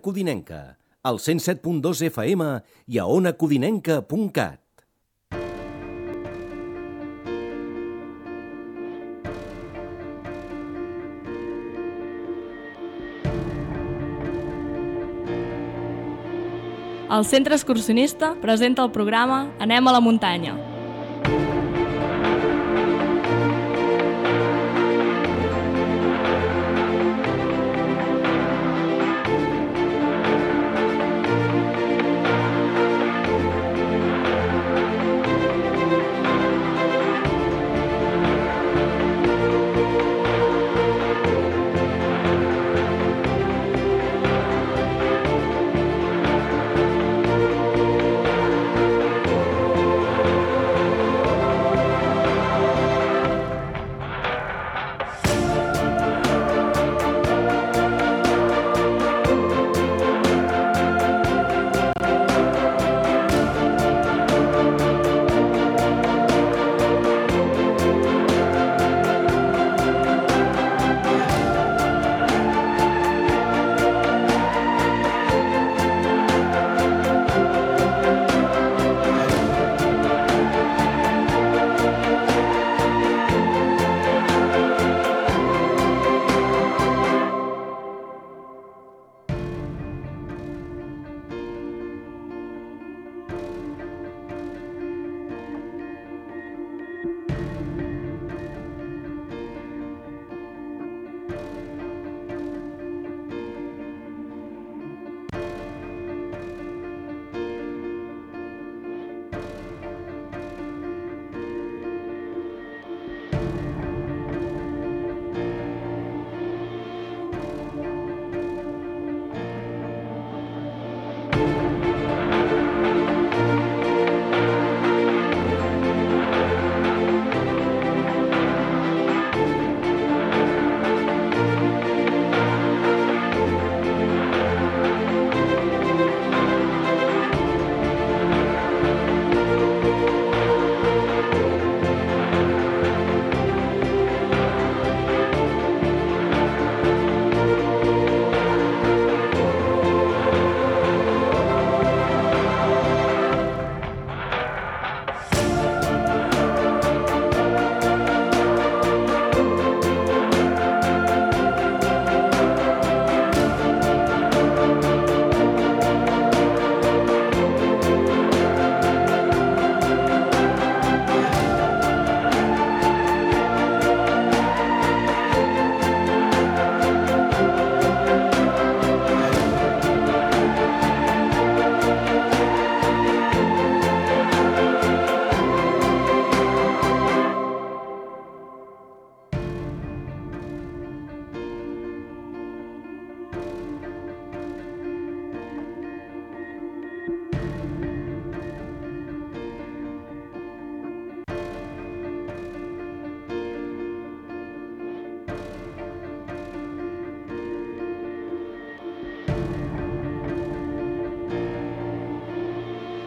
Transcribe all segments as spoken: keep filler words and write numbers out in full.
Codinenca, al cent set punt dos F M i a ona codinenca punt cat. El Centre Excursionista presenta el programa Anem a la muntanya.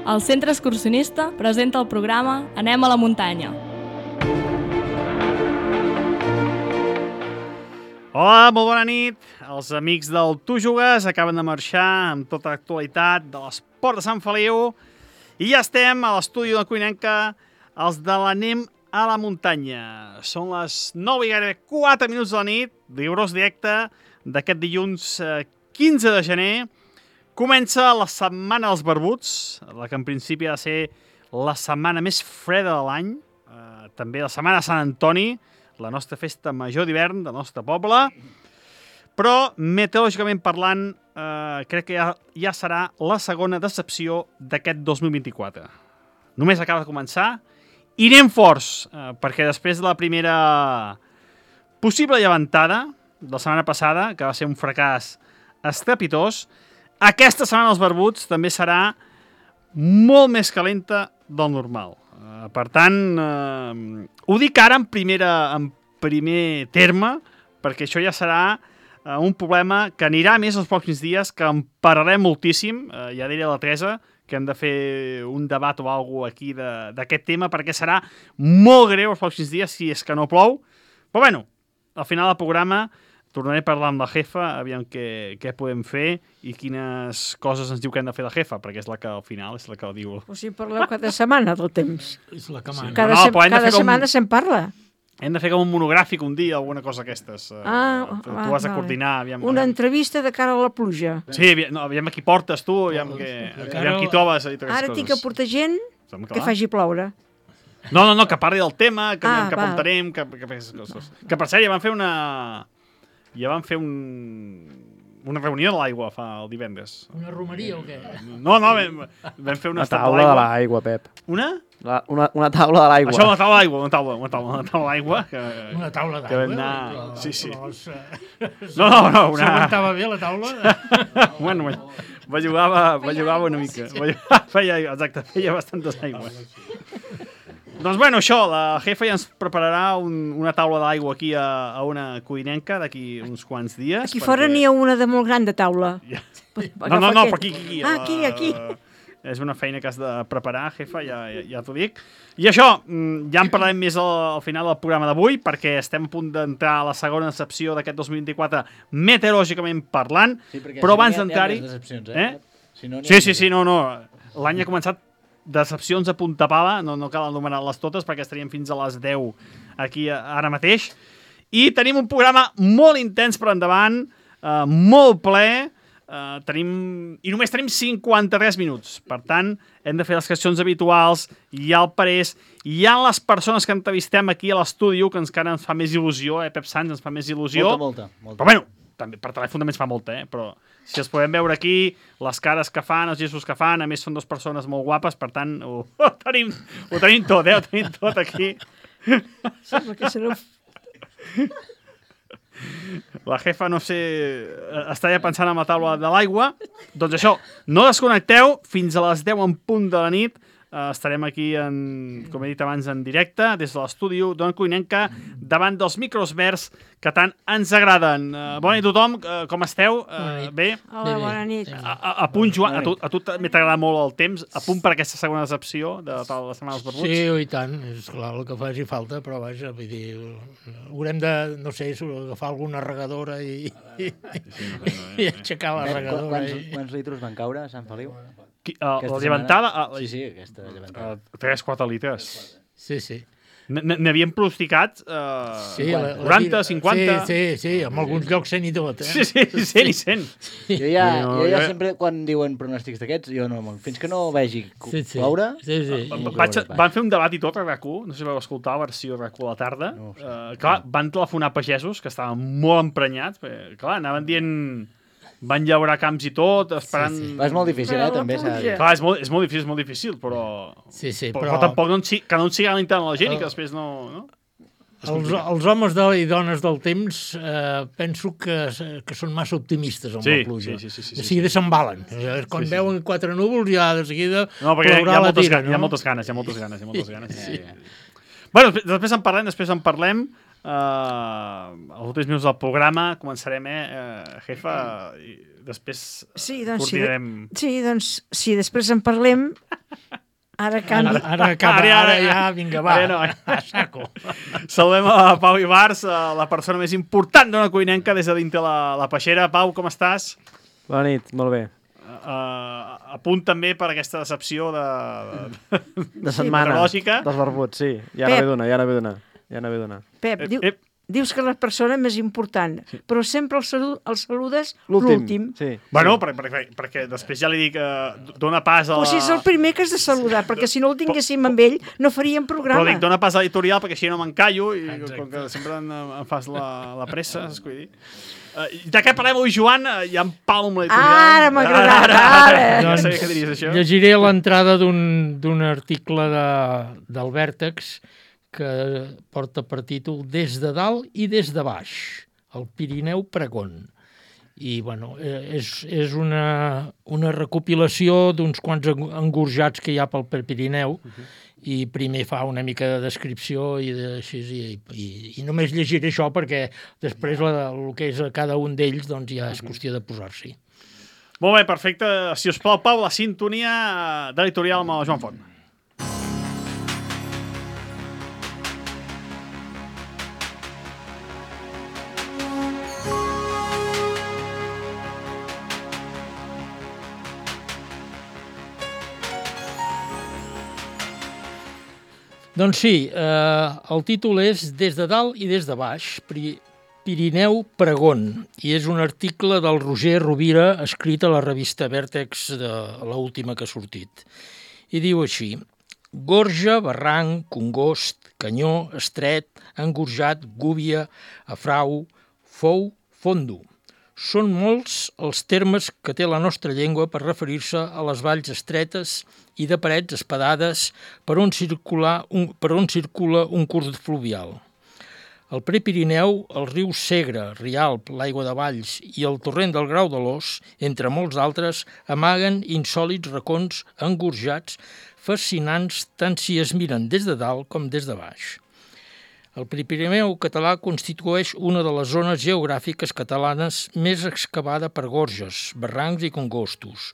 El Centre Excursionista presenta el programa Anem a la muntanya. Hola, molt bona nit. Els amics del Tu Jugues acaben de marxar amb tota l'actualitat de l'esport de Sant Feliu i ja estem a l'estudi de la Codinenca, els de l'Anem a la muntanya. Són les nou i gairebé quatre minuts de la nit, rigorós directe d'aquest dilluns quinze de gener. Comença la setmana dels barbuts, la que en principi ha de ser la setmana més freda de l'any, eh, també la setmana de Sant Antoni, la nostra festa major d'hivern del nostre poble, però meteorològicament parlant eh, crec que ja, ja serà la segona decepció d'aquest dos mil vint-i-quatre. Només acaba de començar i anem forts, eh, perquè després de la primera possible llevantada de la setmana passada, que va ser un fracàs estrepitós, aquesta setmana dels barbuts també serà molt més calenta del normal. Uh, per tant, uh, ho dic ara en, primera, en primer terme, perquè això ja serà uh, un problema que anirà més els pròxims dies, que en parlarem moltíssim. Uh, ja diré a la Teresa que hem de fer un debat o alguna cosa aquí d'aquest tema, perquè serà molt greu els pròxims dies si és que no plou. Però bueno, al final del programa tornaré a parlar amb la jefa, aviam què, què podem fer i quines coses ens diu que hem de fer la jefa, perquè és la que al final és la que ho diu. O sigui, parleu cada setmana del temps. És la que mana. Cada, No, se però hem de cada fer com- setmana se'n parla. Hem de fer com un monogràfic un dia, alguna cosa d'aquestes. Eh, Ah, tu ah, has de vale. coordinar. Aviam, Una aviam. entrevista de cara a la pluja. Sí, aviam, no, aviam a qui portes tu, aviam, que, aviam qui trobes. A dir aquestes Ara tinc que coses. portar gent Home, que clar. faci ploure. No, no, no, que parli del tema, que, Ah, ah, cap val. on tenim, que, que, que, coses. Que per cert, ja van fer una... Ja van fer un... una reunió de l'aigua fa el divendres. Una romeria o què? No, no, vam, vam fer una Una estat taula de l'aigua, Pep. Una? La, una, una taula de l'aigua. Això, una taula d'aigua, una taula, una taula, una taula d'aigua. Que... Una taula Que vam d'aigua? anar... Però- Sí, sí. però es- No, no, no, una... S'aguantava bé la taula? bueno, bueno, va jugava, va jugava una mica. Va jugar, feia, exacte, feia bastantes aigües. Doncs bueno, això, la jefa ja ens prepararà un, una taula d'aigua aquí a, a una cuinenca d'aquí uns quants dies. Aquí fora n'hi ha una de molt gran de taula. Ja. No, no, no, però aquí, aquí. Ah, la- aquí, aquí. És una feina que has de preparar, jefa, ja, ja, ja t'ho dic. I això, mm, ja en parlarem més al, al final del programa d'avui, perquè estem a punt d'entrar a la segona secció d'aquest dos mil vint-i-quatre, meteorològicament parlant, Sí, perquè però si no abans hi ha- hi ha d'entrar-hi... més decepcions, eh? Eh? Si no, n'hi ha Sí, sí, més. sí, no, no. L'any ha començat decepcions a punta pala, no, no cal anomenar-les totes perquè estaríem fins a les deu aquí a- ara mateix. I tenim un programa molt intens per endavant, eh, molt ple, eh, tenim, i només tenim cinquanta-tres minuts. Per tant, hem de fer les qüestions habituals, hi ha el parés, hi ha les persones que entrevistem aquí a l'estudi, que ens, encara ens fa més il·lusió, eh, Pep Sans, ens fa més il·lusió. Molta, molta, molta. Però bueno, també per telèfon també ens fa molta, eh? Però si els podem veure aquí, les cares que fan, els gestos que fan, a més són dues persones molt guapes, per tant, ho, ho, tenim, ho tenim tot, eh? Ho tenim tot aquí. Sembla que serà... La jefa, no sé, està ja pensant en la taula de l'aigua. Doncs això, no desconnecteu, fins a les deu en punt de la nit. Uh, estarem aquí, en, com he dit abans, en directe, des de l'estudi d'Ona Cuinenca, davant dels micros verds que tant ens agraden. Uh, bona nit a tothom, uh, com esteu? Uh, bé? Hola, bona nit. A, a, a punt, Joan, a tu, a tu també t'agrada molt el temps, a punt per aquesta segona decepció de la de Setmana dels Barbuts? Sí, i tant, és clar el que faci falta, però vaja, vull dir, haurem de, no sé, agafar alguna regadora i, i, i aixecar la Pep, regadora. quants, I... quants litros van caure a Sant Feliu? Qui, uh, Aquesta la llevantada? setmana? Uh, Sí, sí, aquesta llevantada. uh, tres quatre litres. Sí, sí. N'havien pronosticat uh, Sí, la, la, quaranta, cinquanta... Sí, sí, sí, en alguns llocs cent i tot, eh? Sí, sí, cent i cent. Jo ja, No, jo ja jo- sempre, quan diuen pronòstics d'aquests, jo no, fins que no vegi Sí, sí. ploure... Sí, sí. no Vaig, plourà pas. van fer un debat i tot a RAC u, no sé si vau escoltar la versió de RAC u a la tarda. No, sí. uh, clar, van telefonar pagesos que estaven molt emprenyats, perquè, clar, anaven dient... Van llaurar camps i tot, esperant... Sí, sí. Va, és molt difícil, Però eh, la també. s'ha de dir. pluja. Clar, és molt, és molt difícil, és molt difícil, però... Sí, sí, però, però... però tampoc no en, si- que no en sigui l'internet de la gent i que després no... no? Els, els homes de, i dones del temps eh, penso que, que són massa optimistes amb Sí, la pluja. sí, sí, sí, sí, de sí, seguida s'embalen. Eh, Quan Sí, sí. veuen quatre núvols ja de seguida No, perquè hi plourà ha, la moltes, tira, ganes, hi ha no? moltes ganes, hi ha moltes ganes, hi ha moltes ganes. Sí. Bueno, després, després en parlem, després en parlem. Uh, els últims minuts del programa començarem, eh, uh, jefa, i després Sí, doncs, sí, coordinarem... sí, doncs, si després en parlem, ara canvi. Ara, ara acaba, Ara, ara, ara ja, vinga, va, ara no, eh? a saco. Saludem a Pau Ibars, a la persona més important d'Ona Cuinenca des de dintre la, la peixera. Pau, com estàs? Bona nit, molt bé. Uh, a punt també per aquesta decepció de, de, De setmana, meteorològica. dels barbuts, sí. Ja Pep. no ve d'una, ja no ve d'una. Ja no ve d'una. Pep, Ep, diu, ep. dius que la persona més important, però sempre el, salu el saludes L'últim, l'últim. sí. Bueno, per, per, perquè després ja li dic, uh, dona pas a O la... sigui, és el primer que has de saludar, perquè si no el tinguéssim amb ell, no faríem Però programa. dic, dona pas a l'editorial perquè així no m'encallo i Exacte. com que sempre em, em fas la, la pressa, saps què vull dir? Uh, de què parlem avui, Joan? Uh, hi ha en Pau amb l'editorial. Ara m'ha agradat, ara. Ja sabia que diries això. Llegiré l'entrada d'un article de, del Vèrtex que porta per títol Des de dalt i des de baix, el Pirineu Pregón. I, bueno, eh, és, és una, una recopilació d'uns quants eng- engorjats que hi ha pel pel Pirineu, i primer fa una mica de descripció i de, així, i, i, i només llegiré això perquè després la, el que és a cada un d'ells doncs ja és qüestió de posar-s'hi. Molt bé, perfecte. Si us plau, Pau, la sintonia de l'editorial amb el Joan Font. Doncs sí, eh, el títol és Des de dalt i des de baix, Pri Pirineu Pregón, i és un article del Roger Rovira escrit a la revista Vèrtex, de l'última que ha sortit. I diu així: gorja, barranc, congost, canyó, estret, engorjat, gúbia, afrau, fou, fondo. Són molts els termes que té la nostra llengua per referir-se a les valls estretes i de parets espadades per on, circular un, per on circula un curs fluvial. El Prepirineu, el riu Segre, Rialp, l'Aigua de Valls i el torrent del Grau de l'Os, entre molts altres, amaguen insòlits racons engorjats, fascinants tant si es miren des de dalt com des de baix. El Prepirineu català constitueix una de les zones geogràfiques catalanes més excavada per gorges, barrancs i congostos,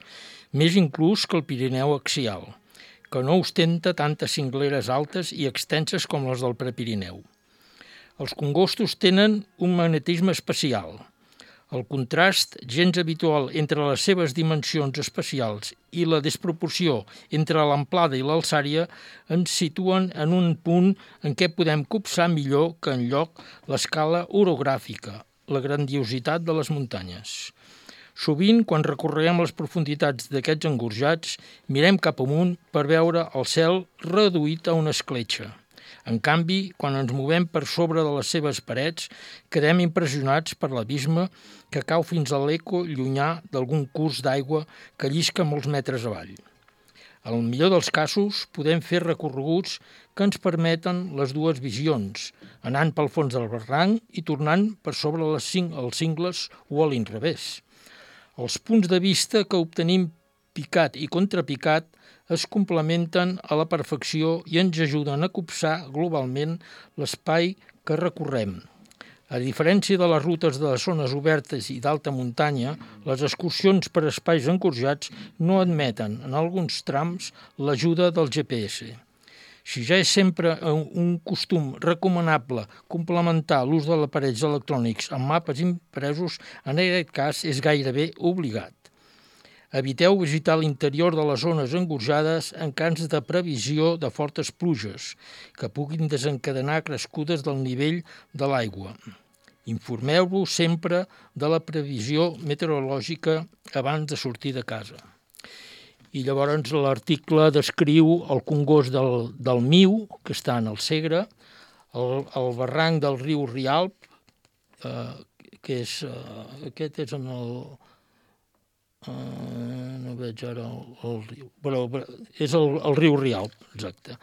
més inclús que el Pirineu axial, que no ostenta tantes cingleres altes i extenses com les del Prepirineu. Els congostos tenen un magnetisme especial. El contrast gens habitual entre les seves dimensions espacials i la desproporció entre l'amplada i l'alçària ens situen en un punt en què podem copsar millor que enlloc l'escala orogràfica, la grandiositat de les muntanyes. Sovint, quan recorrem les profunditats d'aquests engorjats, mirem cap amunt per veure el cel reduït a una escletxa. En canvi, quan ens movem per sobre de les seves parets, quedem impressionats per l'abisme que cau fins a l'eco llunyà d'algun curs d'aigua que llisca molts metres avall. En el millor dels casos, podem fer recorreguts que ens permeten les dues visions, anant pel fons del barranc i tornant per sobre les cing els cingles o a l'inrevés. Els punts de vista que obtenim picat i contrapicat es complementen a la perfecció i ens ajuden a copsar globalment l'espai que recorrem. A diferència de les rutes de les zones obertes i d'alta muntanya, les excursions per espais engorjats no admeten, en alguns trams, l'ajuda del G P S. Si ja és sempre un costum recomanable complementar l'ús de aparells electrònics amb mapes impresos, en aquest cas és gairebé obligat. Eviteu visitar l'interior de les zones engorjades en cas de previsió de fortes pluges, que puguin desencadenar crescudes del nivell de l'aigua. Informeu-vos sempre de la previsió meteorològica abans de sortir de casa. I llavors l'article descriu el congost del, del Miu, que està en el Segre, el, el barranc del riu Rialp, eh, que és, eh, aquest és en el... Uh, no veig ara el, el riu, però, però és el, el riu Rialp, exacte.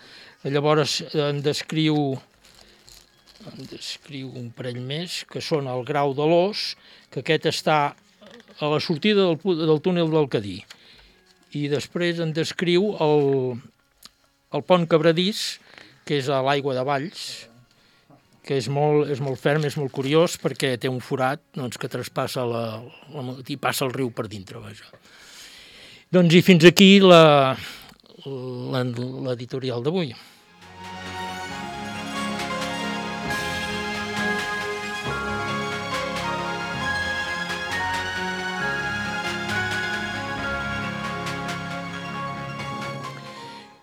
Llavors en descriu, en descriu un parell més, que són el Grau de l'Os, que aquest està a la sortida del, del túnel del Cadí. I després en descriu el, el Pont Cabradís, que és a l'Aigua de Valls, que és molt, és molt ferm, és molt curiós, perquè té un forat doncs, que traspassa la, la, i passa el riu per dintre. Vaja. Doncs i fins aquí la, la, l'editorial d'avui.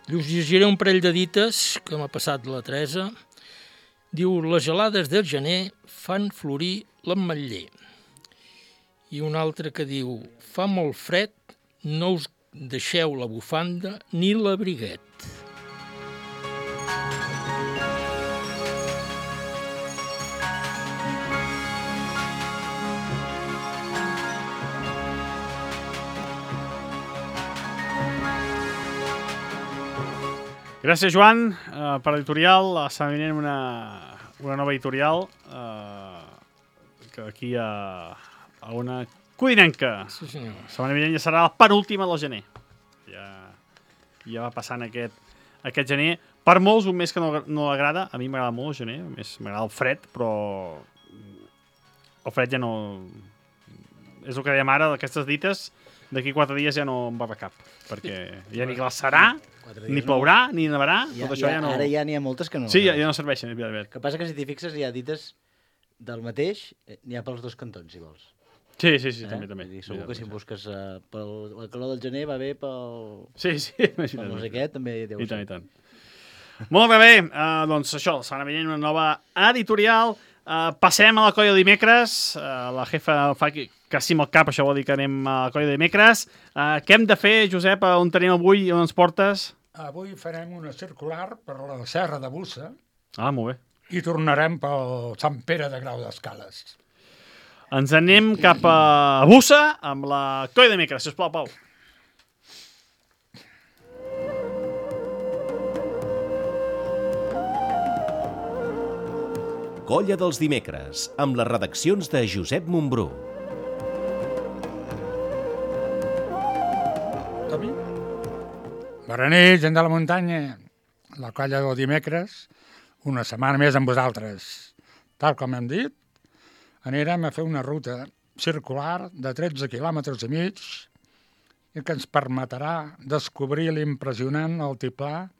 I us llegiré un parell de dites que m'ha passat la Teresa. Diu, les gelades del gener fan florir l'ametller. I un altre que diu, fa molt fred, no us deixeu la bufanda ni l'abriguet. Gràcies, Joan, uh, per l'editorial. Està venint una, una nova editorial uh, que aquí a, a una codinenca. Sí, senyor. La setmana vinent ja serà la penúltima del gener. Ja, ja va passant aquest, aquest gener. Per molts, un mes que no, no agrada. A mi m'agrada molt el gener, més m'agrada el fred, però el fred ja no... És el que dèiem ara, d'aquestes dites, d'aquí quatre dies ja no em va cap, perquè ja ni glaçarà, ni plourà, no. Ni nevarà, ja, tot això ja, ja no... Ara ja n'hi ha moltes que no. Sí, ja, ja no serveixen. El que passa que si t'hi fixes hi ha dites del mateix, n'hi ha pels dos cantons, si vols. Sí, sí, sí, eh? també, també. Dir, segur que si busques uh, pel, la calor del gener va bé pel... Sí, sí, imagina't. Pel no sé què, també deu I ser. tant, i tant. Molt bé, uh, doncs això, la setmana vinent una nova editorial. Uh, passem a la colla de dimecres. Uh, la jefa fa que, que sí amb el cap, això vol dir que anem a la colla de dimecres. Uh, què hem de fer, Josep, on tenim avui i on ens portes? Avui farem una circular per la Serra de Bussa. Ah, molt bé. I tornarem pel Sant Pere de Grau d'Escales. Ens anem cap a Bussa amb la colla de dimecres. Sisplau, Pau. Colla dels dimecres, amb les redaccions de Josep Montbrú. Som-hi? Bona nit, gent de la muntanya. La colla del dimecres, una setmana més amb vosaltres. Tal com hem dit, anirem a fer una ruta circular de tretze quilòmetres i mig i que ens permetrà descobrir l'impressionant altiplà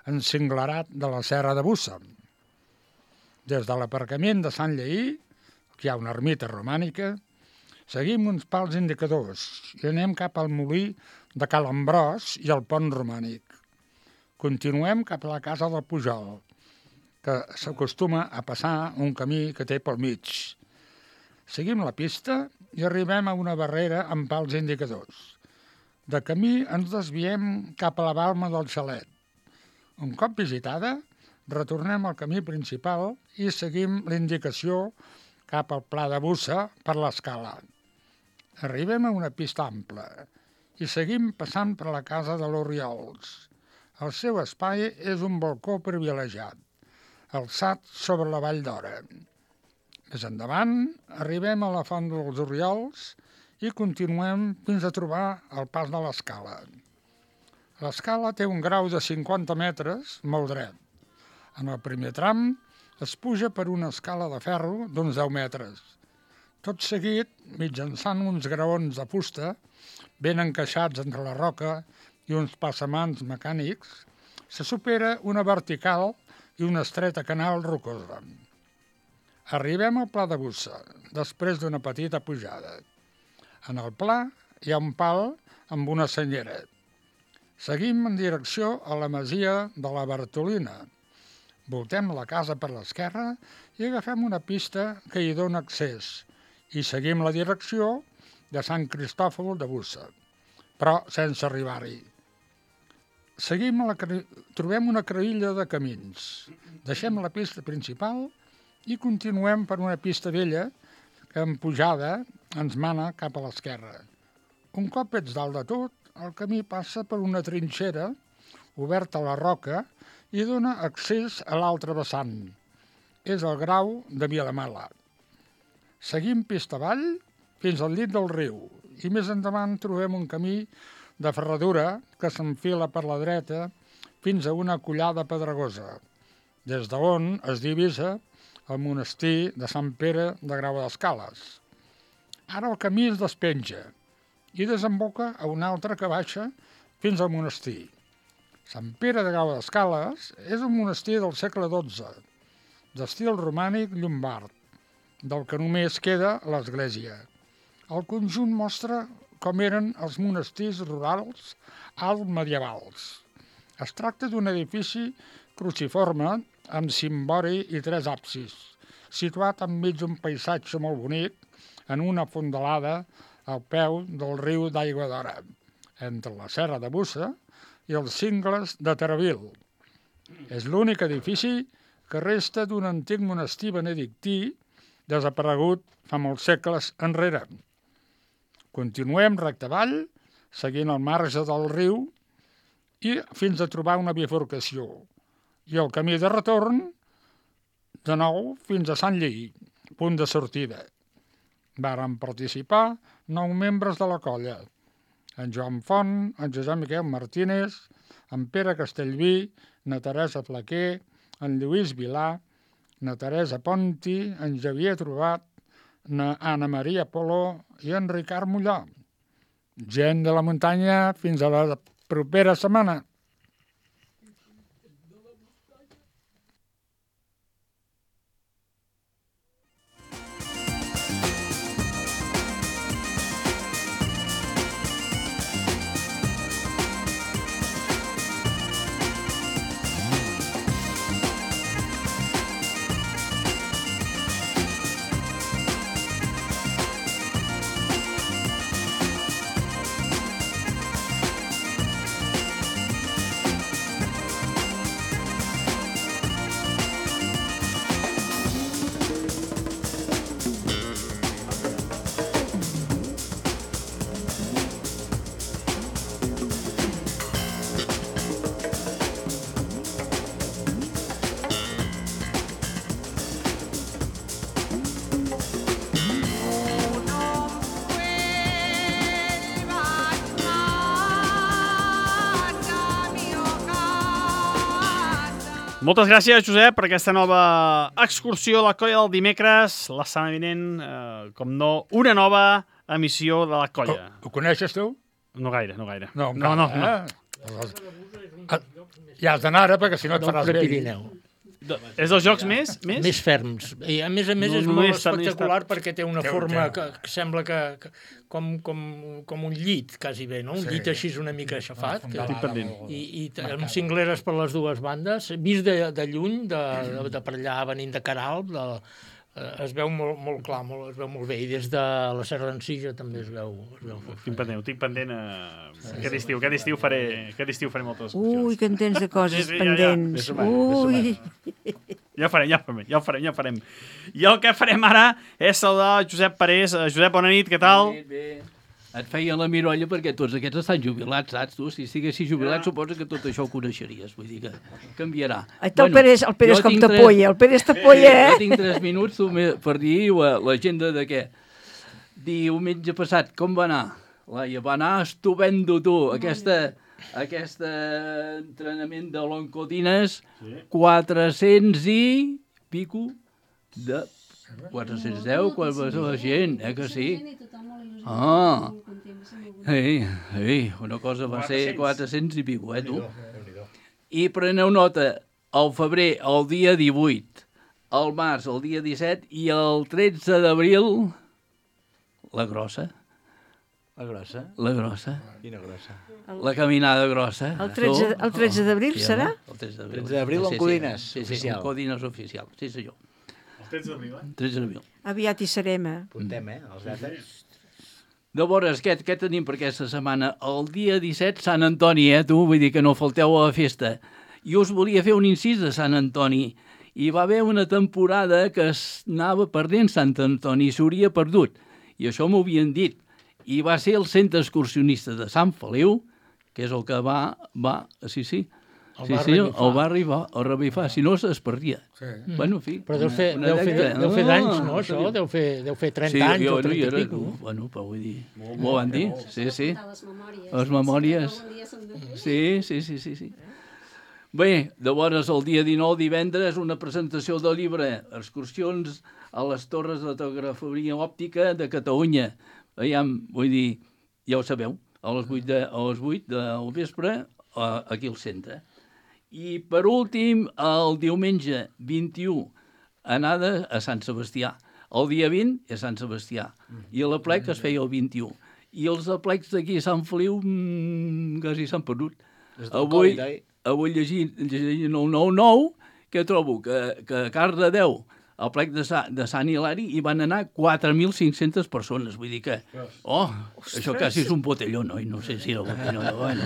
encinglerat de la Serra de Bussa. Des de l'aparcament de Sant Lleí, que hi ha una ermita romànica, seguim uns pals indicadors i anem cap al molí de Cal Ambròs i al pont romànic. Continuem cap a la casa del Pujol, que s'acostuma a passar un camí que té pel mig. Seguim la pista i arribem a una barrera amb pals indicadors. De camí ens desviem cap a la balma del Xalet. Un cop visitada, retornem al camí principal i seguim l'indicació cap al Pla de Bussa per l'escala. Arribem a una pista ampla i seguim passant per la casa de l'Oriols. El seu espai és un balcó privilegiat, alçat sobre la Vall d'Ora. Més endavant, arribem a la Font dels Oriols i continuem fins a trobar el pas de l'escala. L'escala té un grau de cinquanta metres molt dret. En el primer tram es puja per una escala de ferro d'uns deu metres. Tot seguit, mitjançant uns graons de fusta ben encaixats entre la roca i uns passamans mecànics, se supera una vertical i una estreta canal rocosa. Arribem al Pla de Bussa, després d'una petita pujada. En el pla hi ha un pal amb una senyera. Seguim en direcció a la masia de la Bartolina. Voltem la casa per l'esquerra i agafem una pista que hi dona accés i seguim la direcció de Sant Cristòfol de Bussa, però sense arribar-hi. Seguim a la, trobem una creïlla de camins. Deixem la pista principal i continuem per una pista vella que en pujada ens mana cap a l'esquerra. Un cop ets dalt de tot, el camí passa per una trinxera oberta a la roca i dona accés a l'altre vessant. És el Grau de Vilamala. Seguim pista avall fins al llit del riu i més endavant trobem un camí de ferradura que s'enfila per la dreta fins a una collada pedregosa, des d'on es divisa el monestir de Sant Pere de Grau d'Escales. Ara el camí es despenja i desemboca a un altre que baixa fins al monestir. Sant Pere de Grau d'Escales és un monestir del segle dotze, d'estil romànic llombard, del que només queda l'església. El conjunt mostra com eren els monestirs rurals alt medievals. Es tracta d'un edifici cruciforme amb cimbori i tres absis, situat enmig d'un paisatge molt bonic en una fondalada al peu del riu d'Aigua d'Ora, entre la Serra de Bussa i els cingles de Taravil. És l'únic edifici que resta d'un antic monestir benedictí desaparegut fa molts segles enrere. Continuem recte avall, seguint el marge del riu i fins a trobar una bifurcació. I el camí de retorn, de nou, fins a Sant Lleí, punt de sortida. Varen participar nou membres de la colla: en Joan Font, en Josep Miquel Martínez, en Pere Castellví, na Teresa Flaquer, en Lluís Vilà, na Teresa Ponti, en Xavier Trobat, na Anna Maria Poló i en Ricard Mollà. Gent de la muntanya, fins a la propera setmana. Moltes gràcies, Josep, per aquesta nova excursió a la colla del dimecres. La setmana vinent, eh, com no, una nova emissió de la colla. Ho, ho coneixes tu? No gaire, no gaire. No, no, no. no. Eh? Ja has d'anar ara, perquè si no et Del faràs vell. Prepirineu. És dels jocs més? Més, Més ferms. I a més a més No, és no molt és tant, no és espectacular tant. perquè té una Té un- forma té que, que sembla que, que com, com, com un llit, quasi bé, no? Un Sí. llit així una mica aixafat. Que, Estic pendent. i, i t- amb cingleres per les dues bandes, vist de, de lluny, de, de, de per allà venint de Caralt, de, eh, es veu molt, molt clar, molt, es veu molt bé, i des de la Serra d'Encisa també es veu, es veu Tinc perfecte. pendent, ho tinc pendent. Eh... Aquest estiu, aquest estiu faré, aquest estiu faré moltes excursions. Ui, que en tens de coses Sí, sí, ja, ja. pendents. Més o menys, Ui. Ja ho farem, ja ho farem, ja ho farem, ja ho farem. I el que farem ara és saludar Josep Parés. Eh, Josep, bona nit, què tal? Bé, bé. Et feia la mirolla perquè tots aquests estan jubilats, saps tu? Si estiguessis jubilat, suposo que tot això ho coneixeries. Vull dir que canviarà. Ai, el Pérez, el Pérez jo com tinc tres- t'apoya, el Pérez t'apoya, Jo eh? tinc tres minuts tu, me- per dir la- l'agenda de què. Diumenge passat, com va anar? Laia, va anar estupendo, tu. Aquesta, aquest entrenament de l'Oncodines, quatre-cents i pico de... quatre-cents deu, quan va ser la gent, eh que sí? Ah, ei, ei, una cosa va ser quatre-cents i pico, eh, tu? I preneu nota, al febrer, el dia divuit, al març, el dia disset, i el tretze d'abril, la grossa, La grossa? la grossa, Quina grossa? la caminada grossa. El tretze el tretze d'abril Sí, serà? El tretze d'abril. tretze d'abril, Sí, en sí, Codines, sí, sí, oficial. en Codines oficial, sí senyor. El tretze d'abril, eh? tretze d'abril. Aviat hi serem, eh? Apuntem, eh, els dates. Llavors, què, què tenim per aquesta setmana? El dia disset, Sant Antoni, eh, tu? Vull dir que no falteu a la festa. Jo us volia fer un incís de Sant Antoni. Hi va haver una temporada que es anava perdent Sant Antoni, s'hauria perdut. I això m'ho havien dit. I va ser el centre excursionista de Sant Feliu, que és el que va... va sí, sí. El Sí, va sí, revifar. el va arribar, el revifar, si no es perdia. Sí. Bueno, en fi. Però deu fer, una deu fer, dècada. deu fer No, d'anys, no, no això? sabia. Deu fer, deu fer trenta Sí, anys jo o no hi trenta era, i pico. no? Bueno, però vull dir... M'ho van dir? Sí, sí. Les memòries. Les memòries. Sí, sí, sí, sí, sí. Bé, llavors el dia dinou, divendres, una presentació del llibre Excursions a les Torres de Telegrafia Òptica de Catalunya. Veiem, vull dir, ja ho sabeu, a les vuit, de, a les vuit del vespre, a, aquí al centre. I per últim, el diumenge vint-i-u, anada a Sant Sebastià. El dia vint és Sant Sebastià. I a l'aplec es feia el vint-i-u. I els aplecs d'aquí a Sant Feliu mmm, quasi s'han perdut. Avui, avui llegint, llegint el nou nou, que trobo que, que a Cardedeu, al plec de, Sa, de Sant Hilari, hi van anar quatre mil cinc-centes persones. Vull dir que, oh, això quasi és un botelló, no? I no sé si era un botelló, no? Bueno.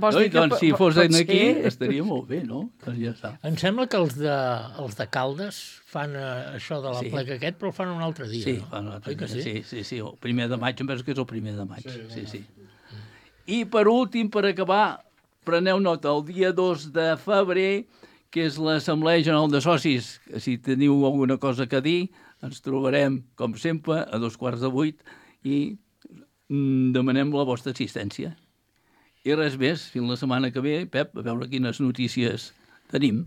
Vols No, dir i que doncs, si po- fos pot aquí, ser? estaria molt bé, no? Doncs ja està. Em sembla que els de, els de Caldes fan eh, això de la Sí. plec aquest, però el fan un altre dia, Sí, no? fan l'altre Oi que dia, sí? sí, sí, sí, el primer de maig, em penso que és el primer de maig, sí, sí. I per últim, per acabar, preneu nota, el dia dos de febrer, que és l'Assemblea General de Socis, que si teniu alguna cosa que dir, ens trobarem, com sempre, a dos quarts de vuit i mm, demanem la vostra assistència. I res més, fins la setmana que ve, Pep, a veure quines notícies tenim.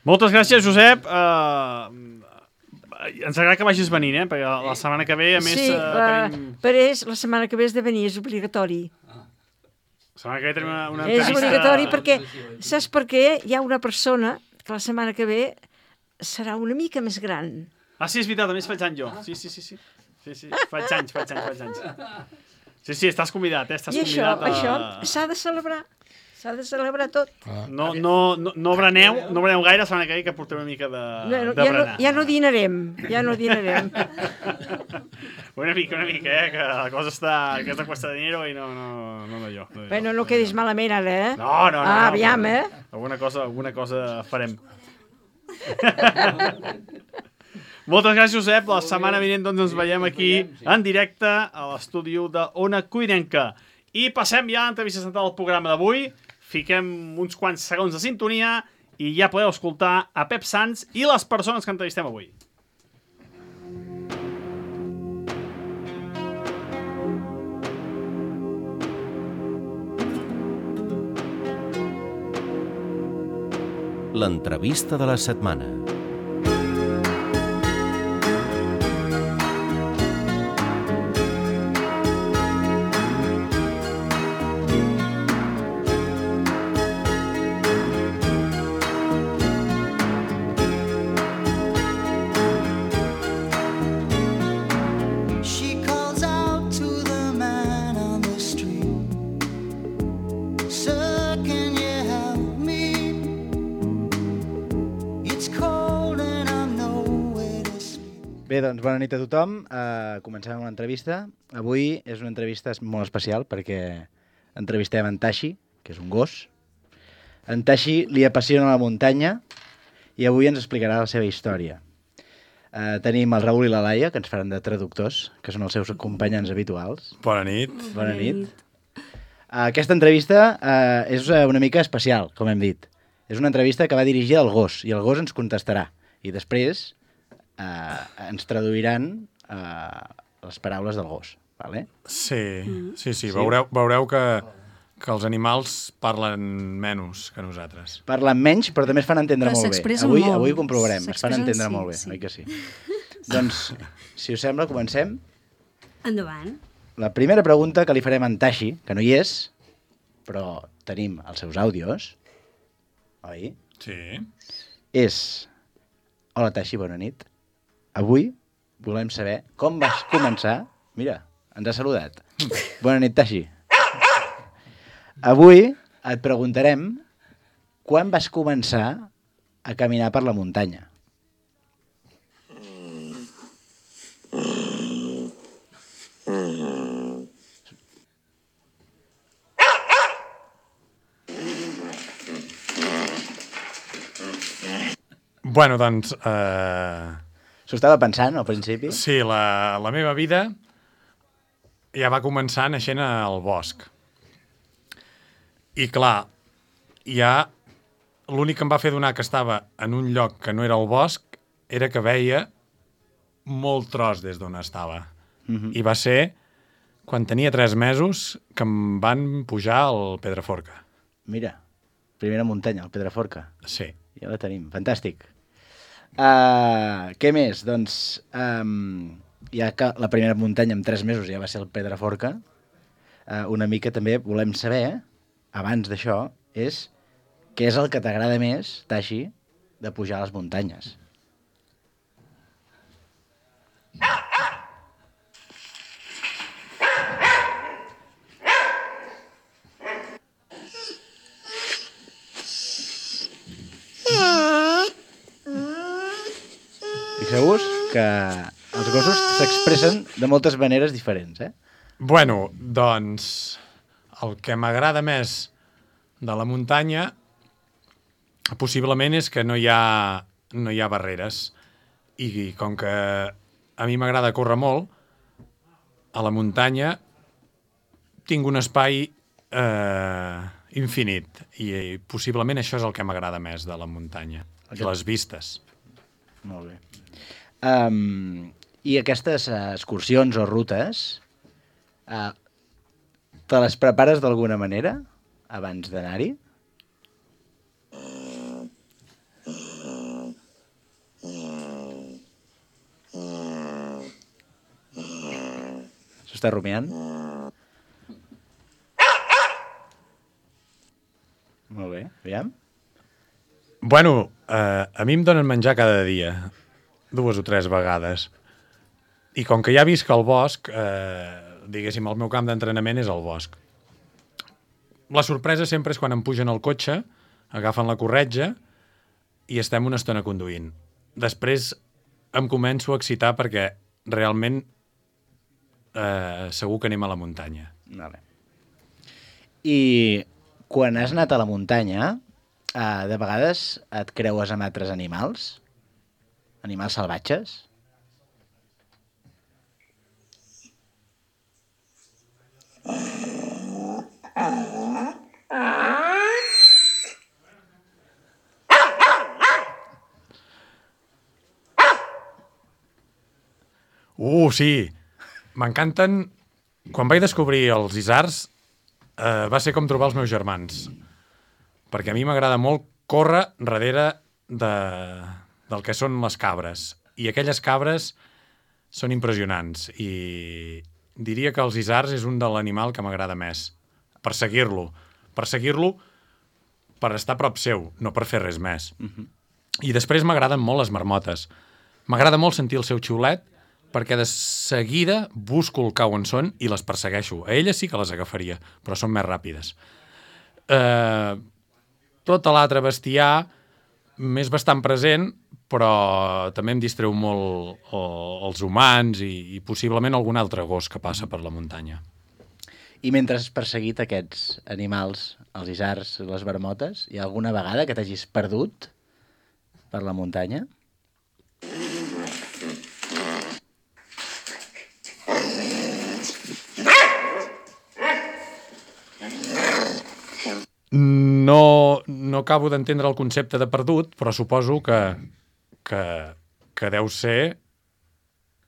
Moltes gràcies, Josep. Uh, ens agrada que vagis venint, eh? Perquè la setmana que ve, a més, Sí, uh, la, tenim... Parés, la setmana que ve has de venir, és obligatori. La setmana que ve tenim una, una És entrevista... obligatori perquè, saps per què? Hi ha una persona que la setmana que ve serà una mica més gran. Ah, sí, és veritat, a més faig anys jo. Sí, sí, sí, sí. Sí, sí, faig anys, faig anys, faig anys. Sí, sí, estàs convidat, eh? Estàs I això, convidat a... això s'ha de celebrar. S'ha de celebrar tot. No, no, no, no breneu, no breneu gaire la setmana que ve, que portem una mica de, No, no, de ja, no, berenar. ja no dinarem, ja no dinarem. Una mica, una mica, eh? Que la cosa està... Que està cuesta de dinero i no, no, no, no jo. No, jo. Bueno, no quedis malament ara, eh? No, no, no. Ah, no, aviam, no. eh? Alguna cosa, alguna cosa farem. Moltes gràcies, Josep. La setmana vinent doncs, ens veiem aquí en directe a l'estudi de Ona Cuinenca. I passem ja a l'entrevista central del programa d'avui. Fiquem uns quants segons de sintonia i ja podeu escoltar a Pep Sans i les persones que entrevistem avui. l'entrevista de la setmana. Bé, doncs bona nit a tothom. Uh, comencem amb l'entrevista. Avui és una entrevista molt especial perquè entrevistem en Tashi, que és un gos. En Tashi li apassiona la muntanya i avui ens explicarà la seva història. Uh, tenim el Raül i la Laia, que ens faran de traductors, que són els seus acompanyants habituals. Bona nit. Bona nit. Uh, aquesta entrevista uh, és una mica especial, com hem dit. És una entrevista que va dirigida al gos, i el gos ens contestarà. I després Uh, ens traduiran uh, les paraules del gos, vale? Sí, mm. sí, sí. Veureu, veureu que, que els animals parlen menys que nosaltres. Parlen menys, però també es fan entendre però molt bé. Avui, molt. avui ho comprovarem, es fan entendre sí, molt bé, sí. oi que sí? Doncs, si us sembla, comencem. Endavant. La primera pregunta que li farem a en Tashi, que no hi és, però tenim els seus àudios, oi? Sí. És... Hola, Tashi, bona nit. Avui volem saber com vas començar... Mira, ens ha saludat. Bona nit, Tashi. Avui et preguntarem quan vas començar a caminar per la muntanya. Bueno, doncs... Eh... S'ho estava pensant al principi? Sí, la, la meva vida ja va començar naixent al bosc. I clar, ja l'únic que em va fer donar que estava en un lloc que no era el bosc era que veia molt tros des d'on estava. Mm-hmm. I va ser quan tenia tres mesos que em van pujar al Pedraforca. Mira, primera muntanya, el Pedraforca. Sí. Ja la tenim, fantàstic. Uh, què més? Doncs, um, ja que la primera muntanya amb tres mesos ja va ser el Pedraforca, uh, una mica també volem saber, abans d'això, és què és el que t'agrada més, Tashi, de pujar a les muntanyes. Fixeu-vos que els gossos s'expressen de moltes maneres diferents, eh? Bueno, doncs, el que m'agrada més de la muntanya possiblement és que no hi ha, no hi ha barreres. I com que a mi m'agrada córrer molt, a la muntanya tinc un espai eh, infinit. I, I possiblement això és el que m'agrada més de la muntanya. I les vistes. Molt bé. Um, I aquestes uh, excursions o rutes, uh, te les prepares d'alguna manera abans d'anar-hi? S'està rumiant? Molt bé, aviam. Bueno, eh, a mi em donen menjar cada dia, dues o tres vegades. I com que ja visc al bosc, eh, diguéssim, el meu camp d'entrenament és el bosc. La sorpresa sempre és quan em pugen al cotxe, agafen la corretja i estem una estona conduint. Després em començo a excitar perquè realment eh, segur que anem a la muntanya. Vale. I quan has anat a la muntanya, eh, de vegades et creues amb altres animals? Animals salvatges? Uh, sí! M'encanten... Quan vaig descobrir els isards, eh, va ser com trobar els meus germans. Perquè a mi m'agrada molt córrer darrere de, del que són les cabres. I aquelles cabres són impressionants. I diria que els isards és un de l'animal que m'agrada més. Perseguir-lo. Perseguir-lo per estar a prop seu, no per fer res més. Mhm. I després m'agraden molt les marmotes. M'agrada molt sentir el seu xiulet perquè de seguida busco el cau on són i les persegueixo. A elles sí que les agafaria, però són més ràpides. Eh, tot l'altre bestiar m'és bastant present, però també em distreu molt el, els humans i, i possiblement algun altre gos que passa per la muntanya. I mentre has perseguit aquests animals, els isards, les marmotes, hi ha alguna vegada que t'hagis perdut per la muntanya? No, no acabo d'entendre el concepte de perdut, però suposo que, que, que deu ser...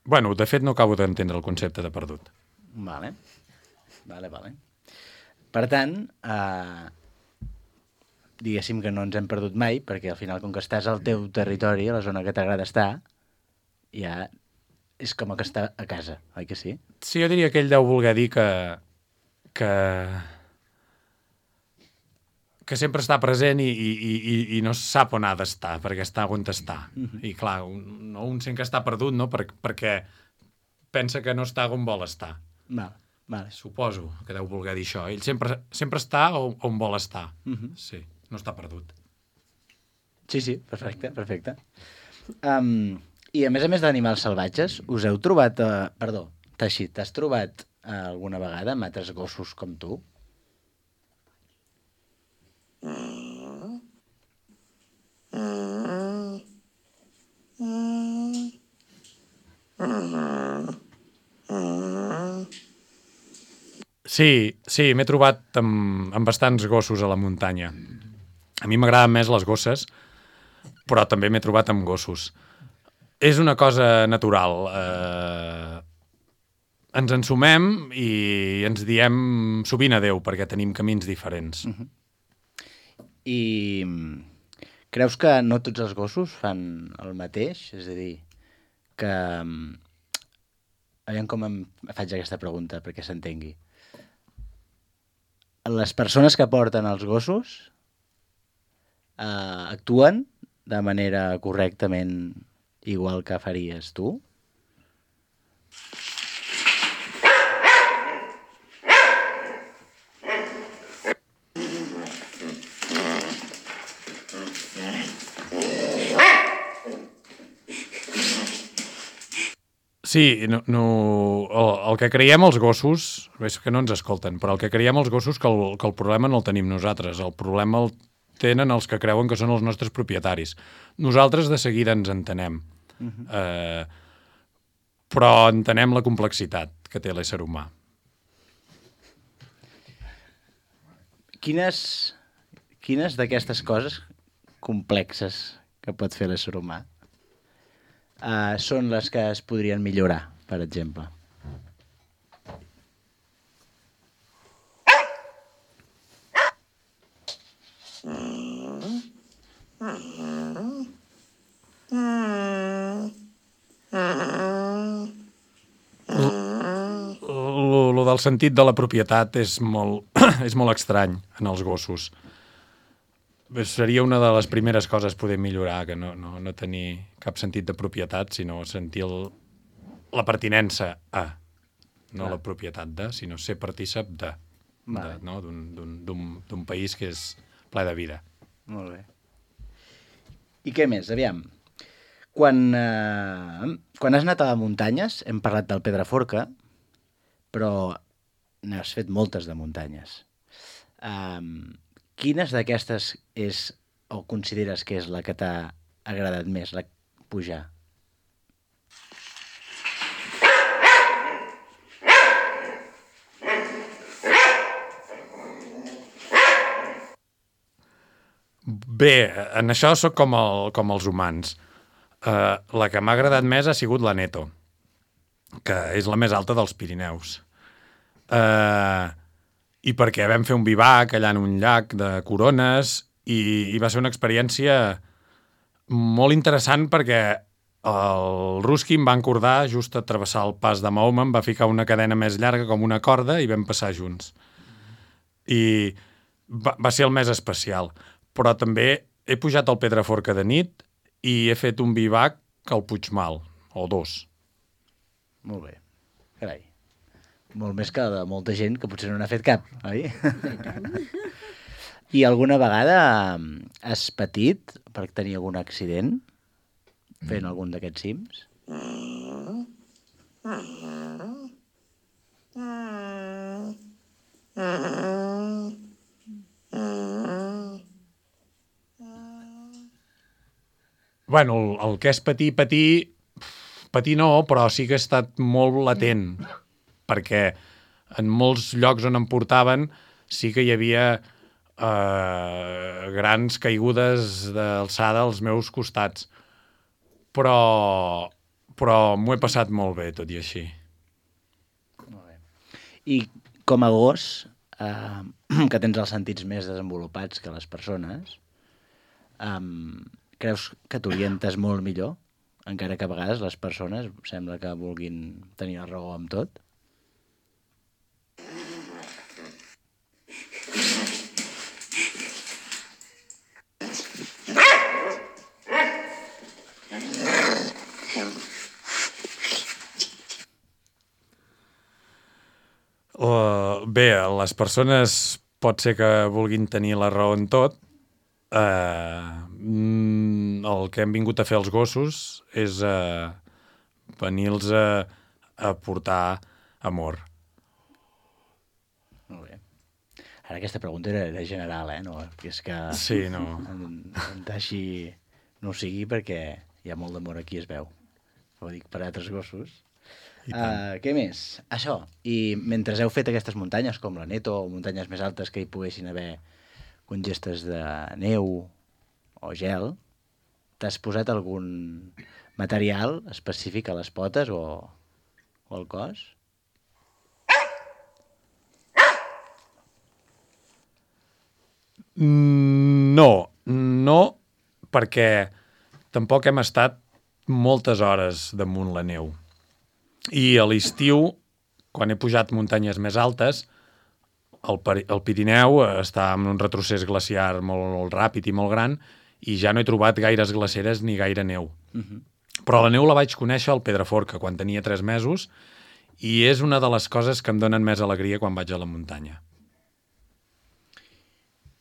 Bueno, de fet, no acabo d'entendre el concepte de perdut. Vale. Vale, vale. Per tant, eh, diguéssim que no ens hem perdut mai, perquè al final, com que estàs al teu territori, a la zona que t'agrada estar, ja és com que està a casa, oi que sí? Sí, jo diria que ell deu voler dir que... que... que sempre està present i, i, i, i no sap on ha d'estar, perquè està on està. Mhm. I clar, un, no, un sent que està perdut, no? Per, perquè pensa que no està on vol estar. Val, vale. Suposo que deu voler dir això. Ell sempre, sempre està on, on vol estar. Mhm. Sí, no està perdut. Sí, sí, perfecte, perfecte. Um, I a més a més d'animals salvatges, us heu trobat... Uh, perdó, Taixi, t'has trobat uh, alguna vegada amb altres gossos com tu? Sí, sí, m'he trobat amb, amb bastants gossos a la muntanya. A mi m'agraden més les gosses, però també m'he trobat amb gossos. És una cosa natural. Eh, ens ensumem i ens diem sovint adeu, perquè tenim camins diferents. Uh-huh. I creus que no tots els gossos fan el mateix? És a dir, que... Aviam com em faig aquesta pregunta perquè s'entengui. Les persones que porten els gossos eh, actuen de manera correctament igual que faries tu? Sí, no, no, el, el que creiem els gossos, és que no ens escolten, però el que creiem els gossos que el, que el problema no el tenim nosaltres, el problema el tenen els que creuen que són els nostres propietaris. Nosaltres de seguida ens entenem, uh-huh. eh, però entenem la complexitat que té l'ésser humà. Quines, quines d'aquestes coses complexes que pot fer l'ésser humà Uh, són les que es podrien millorar, per exemple? Lo del sentit de la propietat és molt, és molt estrany en els gossos. Seria una de les primeres coses poder millorar, que no, no, no tenir cap sentit de propietat, sinó sentir el, la pertinença a, no Clar. La propietat de, sinó ser partícip de, vale. de no? d'un país que és ple de vida. Molt bé. I què més? Aviam. Quan, eh, quan has anat a les muntanyes, hem parlat del Pedraforca, però n'has fet moltes de muntanyes. Um, Quines d'aquestes és o consideres que és la que t'ha agradat més, la pujar? Bé, en això sóc com, el, com els humans. Uh, la que m'ha agradat més ha sigut la Neto, que és la més alta dels Pirineus. Uh, I perquè vam fer un bivac allà en un llac de corones i, i va ser una experiència molt interessant perquè el Ruskin va encordar just a travessar el pas de Mahoma, em va ficar una cadena més llarga com una corda i vam passar junts. I va, va ser el més especial. Però també he pujat al Pedraforca de nit i he fet un bivac al Puigmal, o dos. Molt bé. Carai. Molt més que de molta gent que potser no n'ha fet cap, oi? I alguna vegada has patit per tenir algun accident fent algun d'aquests cims? Bueno, el, el que és patir, patir... Patir no, però sí que he estat molt latent, perquè en molts llocs on em portaven sí que hi havia eh, grans caigudes d'alçada als meus costats. Però, però m'ho he passat molt bé, tot i així. Molt bé. I com a gos, eh, que tens els sentits més desenvolupats que les persones, eh, creus que t'orientes molt millor? Encara que a vegades les persones sembla que vulguin tenir la raó amb tot? Uh, bé, les persones pot ser que vulguin tenir la raó en tot. Uh, el que hem vingut a fer els gossos és uh, venir-los a, a portar amor. Molt bé. Ara aquesta pregunta era, era general, eh? No, és que sí, no. En, en Taixi no ho sigui perquè hi ha molt d'amor aquí, es veu. Ho dic per altres gossos. Uh, què més? Això. I mentre heu fet aquestes muntanyes, com la Neto, o muntanyes més altes que hi poguessin haver congestes de neu o gel, t'has posat algun material específic a les potes o, o al cos? No, no, perquè tampoc hem estat moltes hores damunt la neu. I a l'estiu, quan he pujat muntanyes més altes, el, el Pirineu està en un retrocés glaciar molt, molt ràpid i molt gran i ja no he trobat gaires glaceres ni gaire neu. Uh-huh. Però la neu la vaig conèixer al Pedraforca quan tenia tres mesos i és una de les coses que em donen més alegria quan vaig a la muntanya.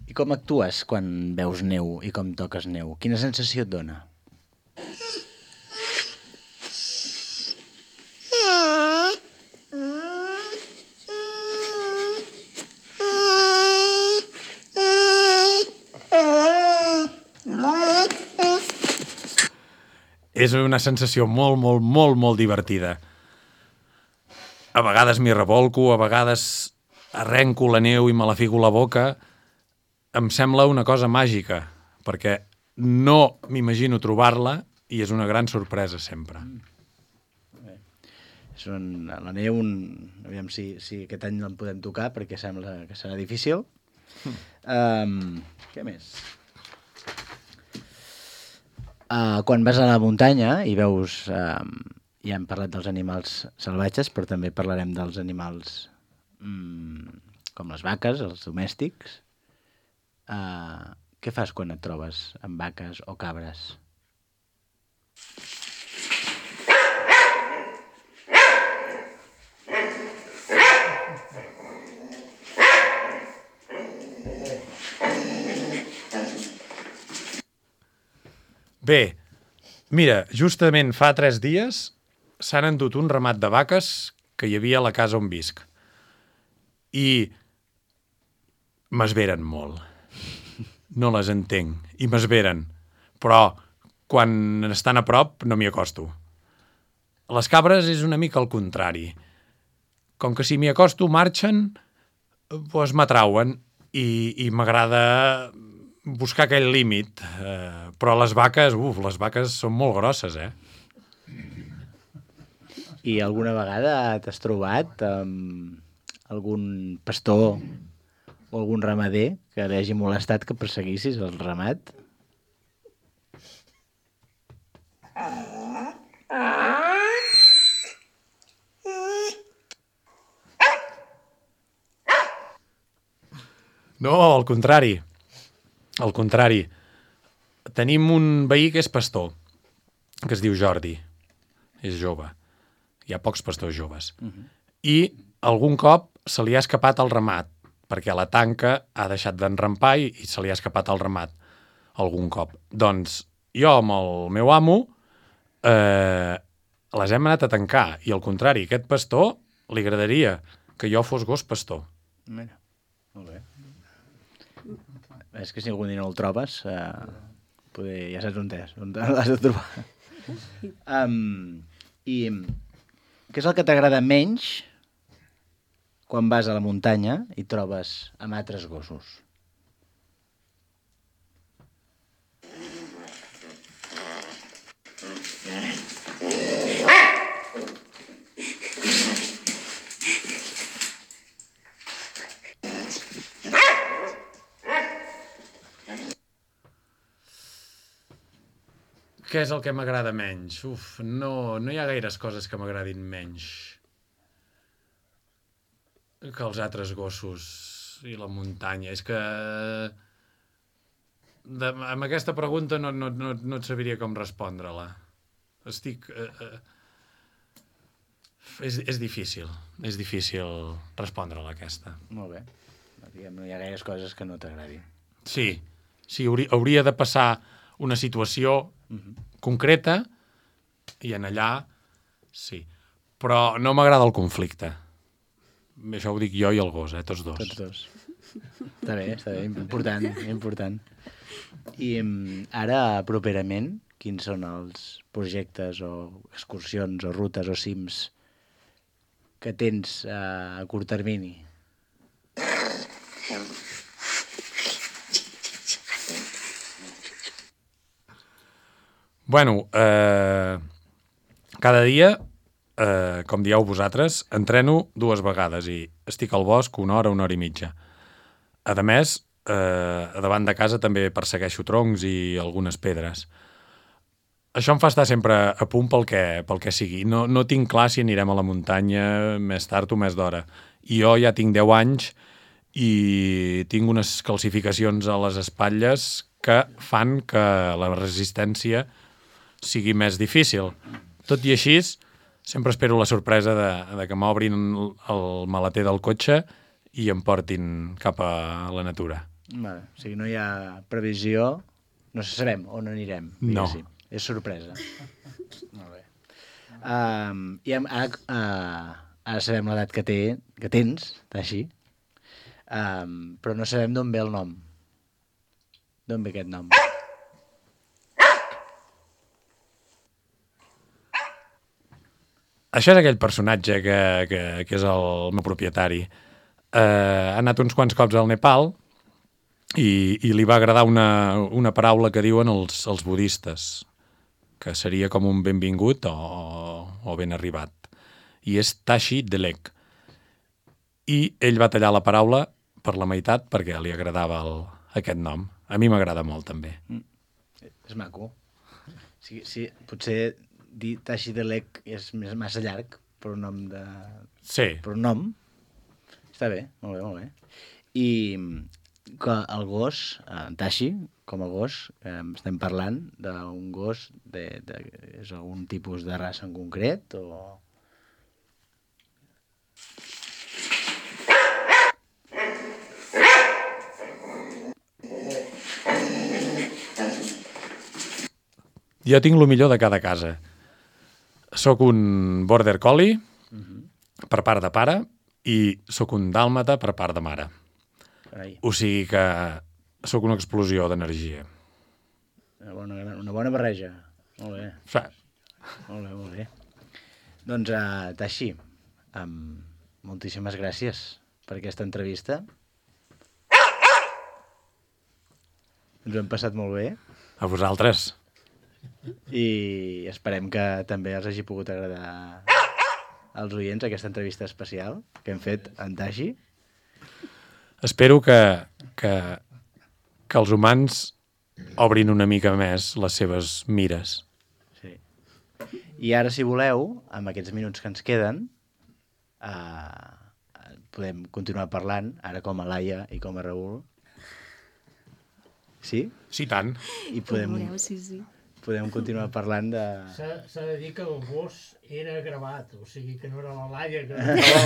I com actues quan veus neu i com toques neu? Quina sensació et dona? És una sensació molt, molt, molt, molt divertida. A vegades m'hi revolco, a vegades arrenco la neu i me la fico a la boca. Em sembla una cosa màgica, perquè no m'imagino trobar-la i és una gran sorpresa sempre. Bé. És un, la neu, un, aviam si, si aquest any l'en podem tocar, perquè sembla que serà difícil. Mm. Um, què més? Uh, quan vas a la muntanya i veus, uh, ja hem parlat dels animals salvatges, però també parlarem dels animals um, com les vaques, els domèstics. Uh, què fas quan et trobes amb vaques o cabres? Bé, mira, justament fa tres dies s'han endut un ramat de vaques que hi havia a la casa on visc. I m'esveren molt. No les entenc. I m'esveren. Però quan estan a prop no m'hi acosto. Les cabres és una mica al contrari. Com que si m'hi acosto marxen, doncs m'atrauen i, i m'agrada buscar aquell límit. Eh, però les vaques, uf, les vaques són molt grosses, eh? I alguna vegada t'has trobat amb algun pastor o algun ramader que li hagi molestat que perseguissis el ramat? No, al contrari. Al contrari. Tenim un veí que és pastor, que es diu Jordi. És jove. Hi ha pocs pastors joves. Uh-huh. I algun cop se li ha escapat el ramat, perquè la tanca ha deixat d'enrampar i, i se li ha escapat el ramat algun cop. Doncs jo amb el meu amo eh, les hem anat a tancar i al contrari, aquest pastor li agradaria que jo fos gos pastor. Mira, molt bé. És que si algun dia no el trobes, eh, poder, ja saps on és, on l'has de trobar. um, I què és el que t'agrada menys quan vas a la muntanya i trobes amb altres gossos? Què és el que m'agrada menys? Uf, no, no hi ha gaires coses que m'agradin menys que els altres gossos i la muntanya. És que de, amb aquesta pregunta no, no, no, no et sabiria com respondre-la. Estic... Eh, eh, és, és difícil, és difícil respondre-la aquesta. Molt bé. Diguem, no hi ha gaires coses que no t'agradin. Sí, sí, hauria, hauria de passar una situació uh-huh. concreta i en allà sí. Però no m'agrada el conflicte. Això ho dic jo i el gos, eh? Tots dos. Tots dos. Està bé, està bé, important, important. I ara, properament, quins són els projectes o excursions o rutes o cims que tens a curt termini? Bueno, eh, cada dia, eh, com dieu vosaltres, entreno dues vegades i estic al bosc una hora, una hora i mitja. A més, eh, a davant de casa també persegueixo troncs i algunes pedres. Això em fa estar sempre a punt pel que, pel que sigui. No, no tinc clar si anirem a la muntanya més tard o més d'hora. I jo ja tinc deu anys i tinc unes calcificacions a les espatlles que fan que la resistència sigui més difícil. Tot i així, sempre espero la sorpresa de, de que m'obrin el maleter del cotxe i em portin cap a la natura. Vale. O sigui, no hi ha previsió, no sabem on anirem. No. Sí. És sorpresa. Molt bé. Um, I ara, uh, ara sabem l'edat que, té, que tens, així, um, però no sabem d'on ve el nom. D'on ve aquest nom? Això és aquell personatge que, que, que és el meu propietari. Eh, ha anat uns quants cops al Nepal i, i li va agradar una, una paraula que diuen els, els budistes, que seria com un benvingut o, o ben arribat. I és Tashi Delek. I ell va tallar la paraula per la meitat perquè li agradava el, aquest nom. A mi m'agrada molt, també. Mm. És maco. Sí, sí, potser dir Tashi Delek és més, massa llarg per un nom de... Sí. Per un nom. Està bé, molt bé, molt bé. I que el gos, en Tashi, com a gos, eh, estem parlant d'un gos de, de, és algun tipus de raça en concret o... Jo tinc el millor de cada casa. Soc un border collie uh-huh. per part de pare i sóc un dàlmata per part de mare. Carai. O sigui que sóc una explosió d'energia. Una bona, una bona barreja. Molt bé. Sí. Molt bé, molt bé. Doncs, uh, Tashi, um, moltíssimes gràcies per aquesta entrevista. Ens ho hem passat molt bé. A vosaltres. I esperem que també els hagi pogut agradar als oients aquesta entrevista especial que hem fet en Tashi. espero que, que, que els humans obrin una mica més les seves mires. Sí. I ara, si voleu, amb aquests minuts que ens queden, eh, podem continuar parlant, ara com a Laia i com a Raül. Sí? Sí, tant. I podem, Voleu, sí, sí. podem continuar parlant de... S'ha de dir que el gos era gravat, o sigui que no era la Laia que...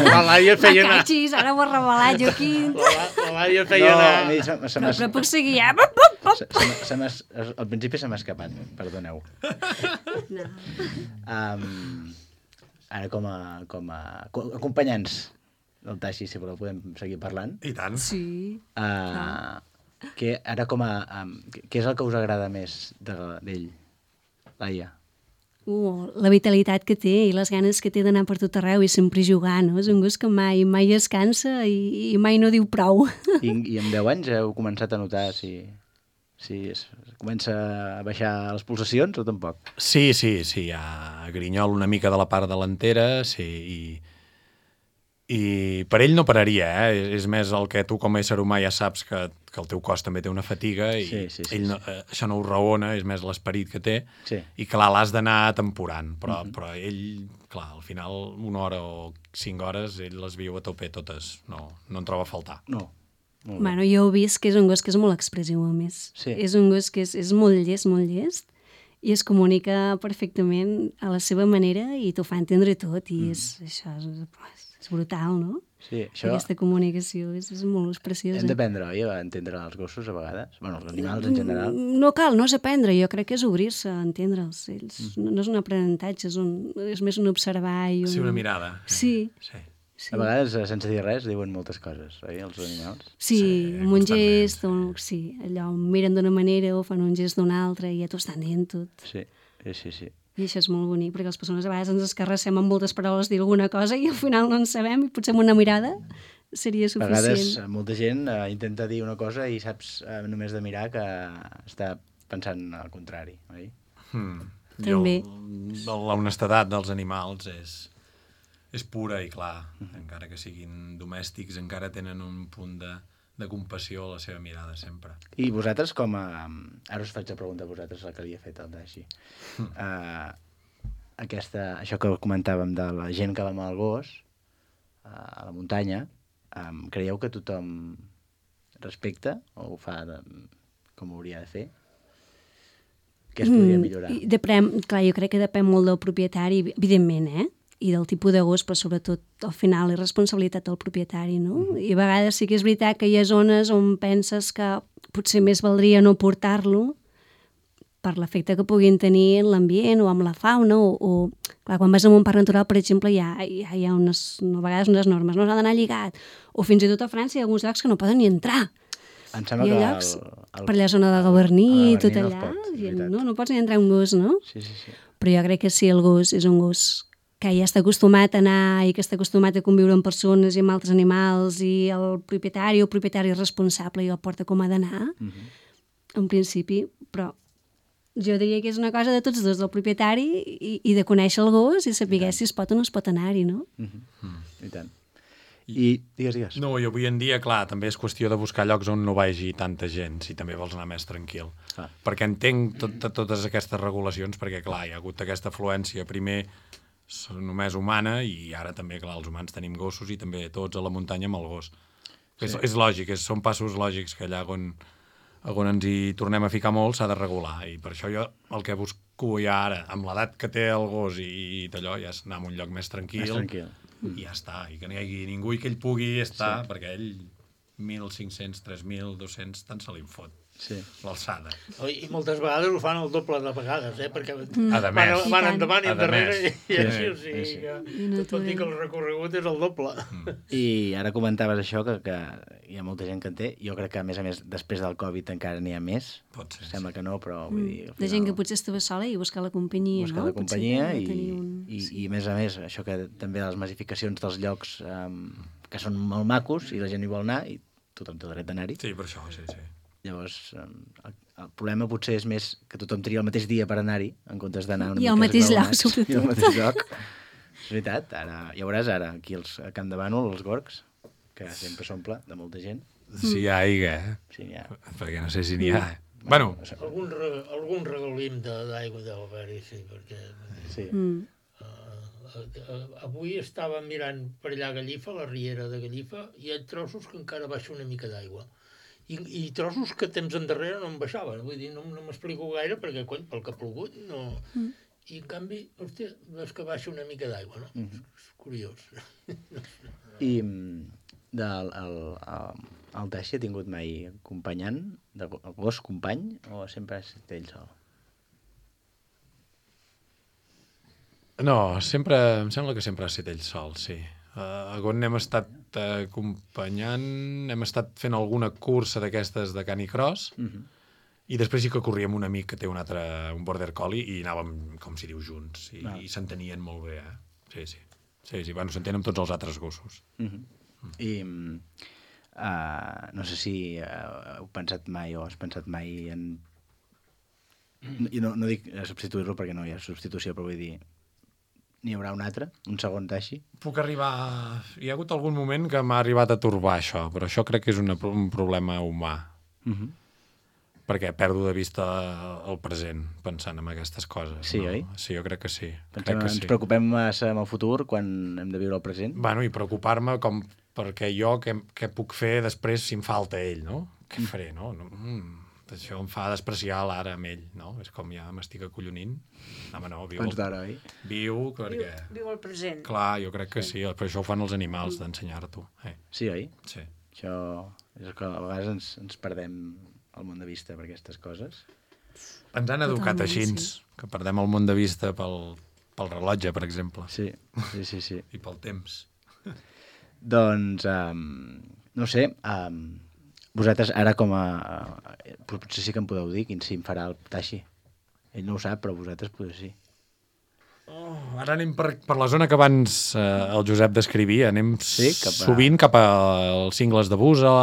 La Laia feia anar... Cachis, ara ho he revelat, Joaquim. La, la Laia feia No, anar... a mi se, se Però, m'ha- però puc seguir, eh? Pop, pop, pop. se, se, m'ha- se m'ha- al principi se m'ha escapat, perdoneu. No. Um, ara com a, com a co- acompanyants del Taixi, si voleu, podem seguir parlant. I tant. Sí. Uh, que ara com a... Um, què és el que us agrada més de- d'ell, Laia? Uh, la vitalitat que té i les ganes que té d'anar per tot arreu i sempre jugar, no? És un gos que mai, mai es cansa i, i mai no diu prou. I, I amb deu anys heu començat a notar si, si es, comença a baixar les pulsacions o tampoc? Sí, sí, sí, ja grinyol una mica de la part delantera, sí, i, i per ell no pararia, eh? És, és més el que tu com a ésser humà ja saps que, que el teu cos també té una fatiga i Sí, sí, sí, ell no, eh, això no ho raona, és més l'esperit que té, Sí. i clar, l'has d'anar temporant, però, Mhm. però ell, clar, al final una hora o cinc hores ell les viu a tope totes, no, no en troba a faltar. No. Molt bé. Bueno, jo he vist que és un gos que és molt expressiu, a més. Sí. És un gos que és, és molt llest, molt llest, i es comunica perfectament a la seva manera i t'ho fa entendre tot, i és, això és, és brutal, no? Sí, això Aquesta comunicació és, és molt preciosa. hem d'aprendre, oi, a entendre els gossos a vegades? Bueno, els animals en general. No cal, no és aprendre, jo crec que és obrir-se a entendre'ls. Ells, no, no és un aprenentatge, és, un, és més un observar i un... Sí, una mirada. Sí. Sí. Sí. A vegades, eh, sense dir res, diuen moltes coses, oi, els animals? Sí, Sí, amb un constantment, gest, o, sí, allò, miren d'una manera o fan un gest d'una altra i ja t'ho estan dient tot. Sí, sí, sí. sí. I això és molt bonic, perquè les persones a vegades ens escarrassem amb moltes paraules dir alguna cosa i al final no en sabem i potser amb una mirada seria A suficient. vegades eh, molta gent eh, intenta dir una cosa i saps eh, només de mirar que està pensant al contrari, oi? Hmm. També. Jo, la honestedat dels animals és, és pura i clar, encara que siguin domèstics, encara tenen un punt de, de compassió a la seva mirada sempre. I vosaltres com a... Ara us faig la pregunta a vosaltres, la que li he fet al Daixi. Uh, aquesta, això que comentàvem de la gent que va amb el gos uh, a la muntanya, um, creieu que tothom respecta o ho fa de, com ho hauria de fer? Què es podria millorar? Mm, depèn, clar, jo crec que depèn molt del propietari, evidentment, eh? I del tipus de gos, però sobretot al final és responsabilitat del propietari, no? Mm. I a vegades sí que és veritat que hi ha zones on penses que potser més valdria no portar-lo per l'efecte que puguin tenir en l'ambient o amb la fauna o, o... Clar, quan vas a un parc natural, per exemple, hi ha, hi ha, hi ha unes, a vegades unes normes, no s'ha d'anar lligat. O fins i tot a França hi ha alguns llocs que no poden ni entrar. Em sembla Hi ha que llocs, el, el, per allà zona de Gavarní i tot no es allà, pot, és i veritat. no, no pots ni entrar un gos, no? Sí, sí, sí. Però jo crec que si el gos és un gos que ja està acostumat a anar i que està acostumat a conviure amb persones i amb altres animals i el propietari o el propietari és responsable i el porta com ha d'anar, Mm -hmm. en principi, però jo diria que és una cosa de tots dos, del propietari i, i de conèixer el gos i saber si es pot o no es pot anar-hi, no? Mm -hmm. mm. I tant. I, digues, digues. No, i avui en dia, clar, també és qüestió de buscar llocs on no vagi tanta gent, si també vols anar més tranquil. Ah. Perquè entenc tot, tot, totes aquestes regulacions, perquè, clar, hi ha hagut aquesta afluència, primer només humana, i ara també, clar, els humans tenim gossos i també tots a la muntanya amb el gos. Sí. És, és lògic, és, són passos lògics que allà on, on ens hi tornem a ficar molt s'ha de regular, i per això jo el que busco ja ara, amb l'edat que té el gos i, i d'allò, ja és anar a un lloc més tranquil, Més tranquil. i ja està, i que no hi hagi ningú i que ell pugui estar, sí. perquè ell mil cinc-cents, tres mil, dos-cents, tant se li fot. Sí. L'alçada. I moltes vegades ho fan el doble de vegades, eh? Perquè Mm. van, més. van endavant i A endarrere més. i, i Sí, així, o sí, sigui sí. que tot vol dir que el recorregut és el doble. Mm. I ara comentaves això, que, que hi ha molta gent que en té. Jo crec que, a més a més, després del Covid encara n'hi ha més. Pot ser. Sembla que no, però vull dir... al De gent que potser estava sola i buscar la companyia, buscar no? la companyia Potser i, tenir un... i, i, a més a més, això que també les massificacions dels llocs um, que són molt macos i la gent hi vol anar i tothom té dret d'anar-hi. Sí, per això, sí, sí. Llavors, um, el, el problema potser és més que tothom tria el mateix dia per anar-hi, en comptes d'anar una I mica al mateix lloc, esglaonats. sobretot. I al mateix lloc. És veritat, ara, ja veuràs ara, aquí els, a Camp de Bànol, els Gorgs, que sempre s'omple de molta gent. Si hi ha aigua, eh? Sí, n'hi ha. Perquè no sé si n'hi ha. Bueno, Algun, re- algun regalim de- d'aigua deu haver-hi, sí, perquè... Sí. Mm. Uh, uh, avui estava mirant per allà a Gallifa, la riera de Gallifa, i hi ha trossos que encara baixa una mica d'aigua. I, I trossos que temps endarrere no em baixaven. Vull dir, no, no m'explico gaire perquè, cony, pel que ha plogut, no... Mm. I, en canvi, hòstia, veus que baixa una mica d'aigua, no? Mhm. És curiós. I mm, del, el, el, el Taixi ha tingut mai acompanyant, de go- gos company, o sempre ha estat ell sol? no, sempre, em sembla que sempre ha estat ell sol, sí. Uh, on hem estat uh, acompanyant, hem estat fent alguna cursa d'aquestes de canicross, Mhm. i després sí que corríem un amic que té un altre, un border collie, i anàvem, com si diu, junts, i, Ah. i s'entenien molt bé, eh? Sí, sí. Sí, sí, bueno, s'entenen amb tots els altres gossos. Mhm. I mm, uh, no sé si uh, heu pensat mai o has pensat mai en... I no, no dic substituir-lo perquè no hi ha substitució, però vull dir, n'hi haurà un altre, un segon Taixi? Puc arribar... Hi ha hagut algun moment que m'ha arribat a torbar això, però això crec que és una, un problema humà. Mhm. Perquè perdo de vista el present pensant en aquestes coses. Sí, no? oi? Sí, jo crec que sí. Pensem, crec que ens sí. preocupem massa amb el futur quan hem de viure el present? Bueno, i preocupar-me com perquè jo què, què puc fer després si em falta ell, no? Què faré, no? no mm, això em fa despreciar l'ara amb ell, no? És com ja m'estic acollonint. No, home, no, viu... Quants d'hora, oi? Viu, perquè... Viu, viu el present. Clar, jo crec que sí, però això ho fan els animals, d'ensenyar-t'ho. Eh. Sí, oi? Sí. Això és que a vegades ens, ens perdem el món de vista per aquestes coses. Ens han educat Totalment, així, sí. que perdem el món de vista pel, pel rellotge, per exemple. Sí, sí, sí. sí. I pel temps. Doncs, um, no sé, um, vosaltres ara com a... Uh, potser sí que em podeu dir quin sí em farà el Taixi. Ell no ho sap, però vosaltres potser sí. Oh, ara anem per, per la zona que abans eh, el Josep descrivia. Anem Sí, cap a- sovint cap als cingles de Busa,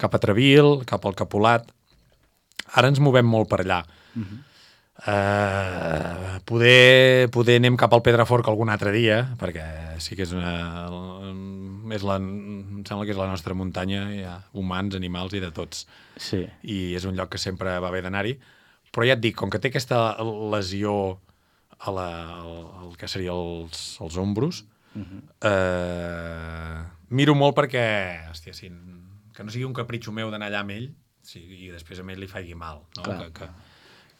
cap a Trevil, cap al Capolat. Ara ens movem molt per allà. Uh -huh. Uh, poder, poder anem cap al Pedraforc algun altre dia, perquè sí que és una... És la, em sembla que és la nostra muntanya, hi ha humans, animals i de tots. Sí. I és un lloc que sempre va bé d'anar-hi. Però ja et dic, com que té aquesta lesió a la, al, al que seria els, els ombros, Uh -huh. eh, miro molt perquè, hòstia, si, que no sigui un capritxo meu d'anar allà amb ell, sí, i després a ell li faci mal, no? Clar. Que, que,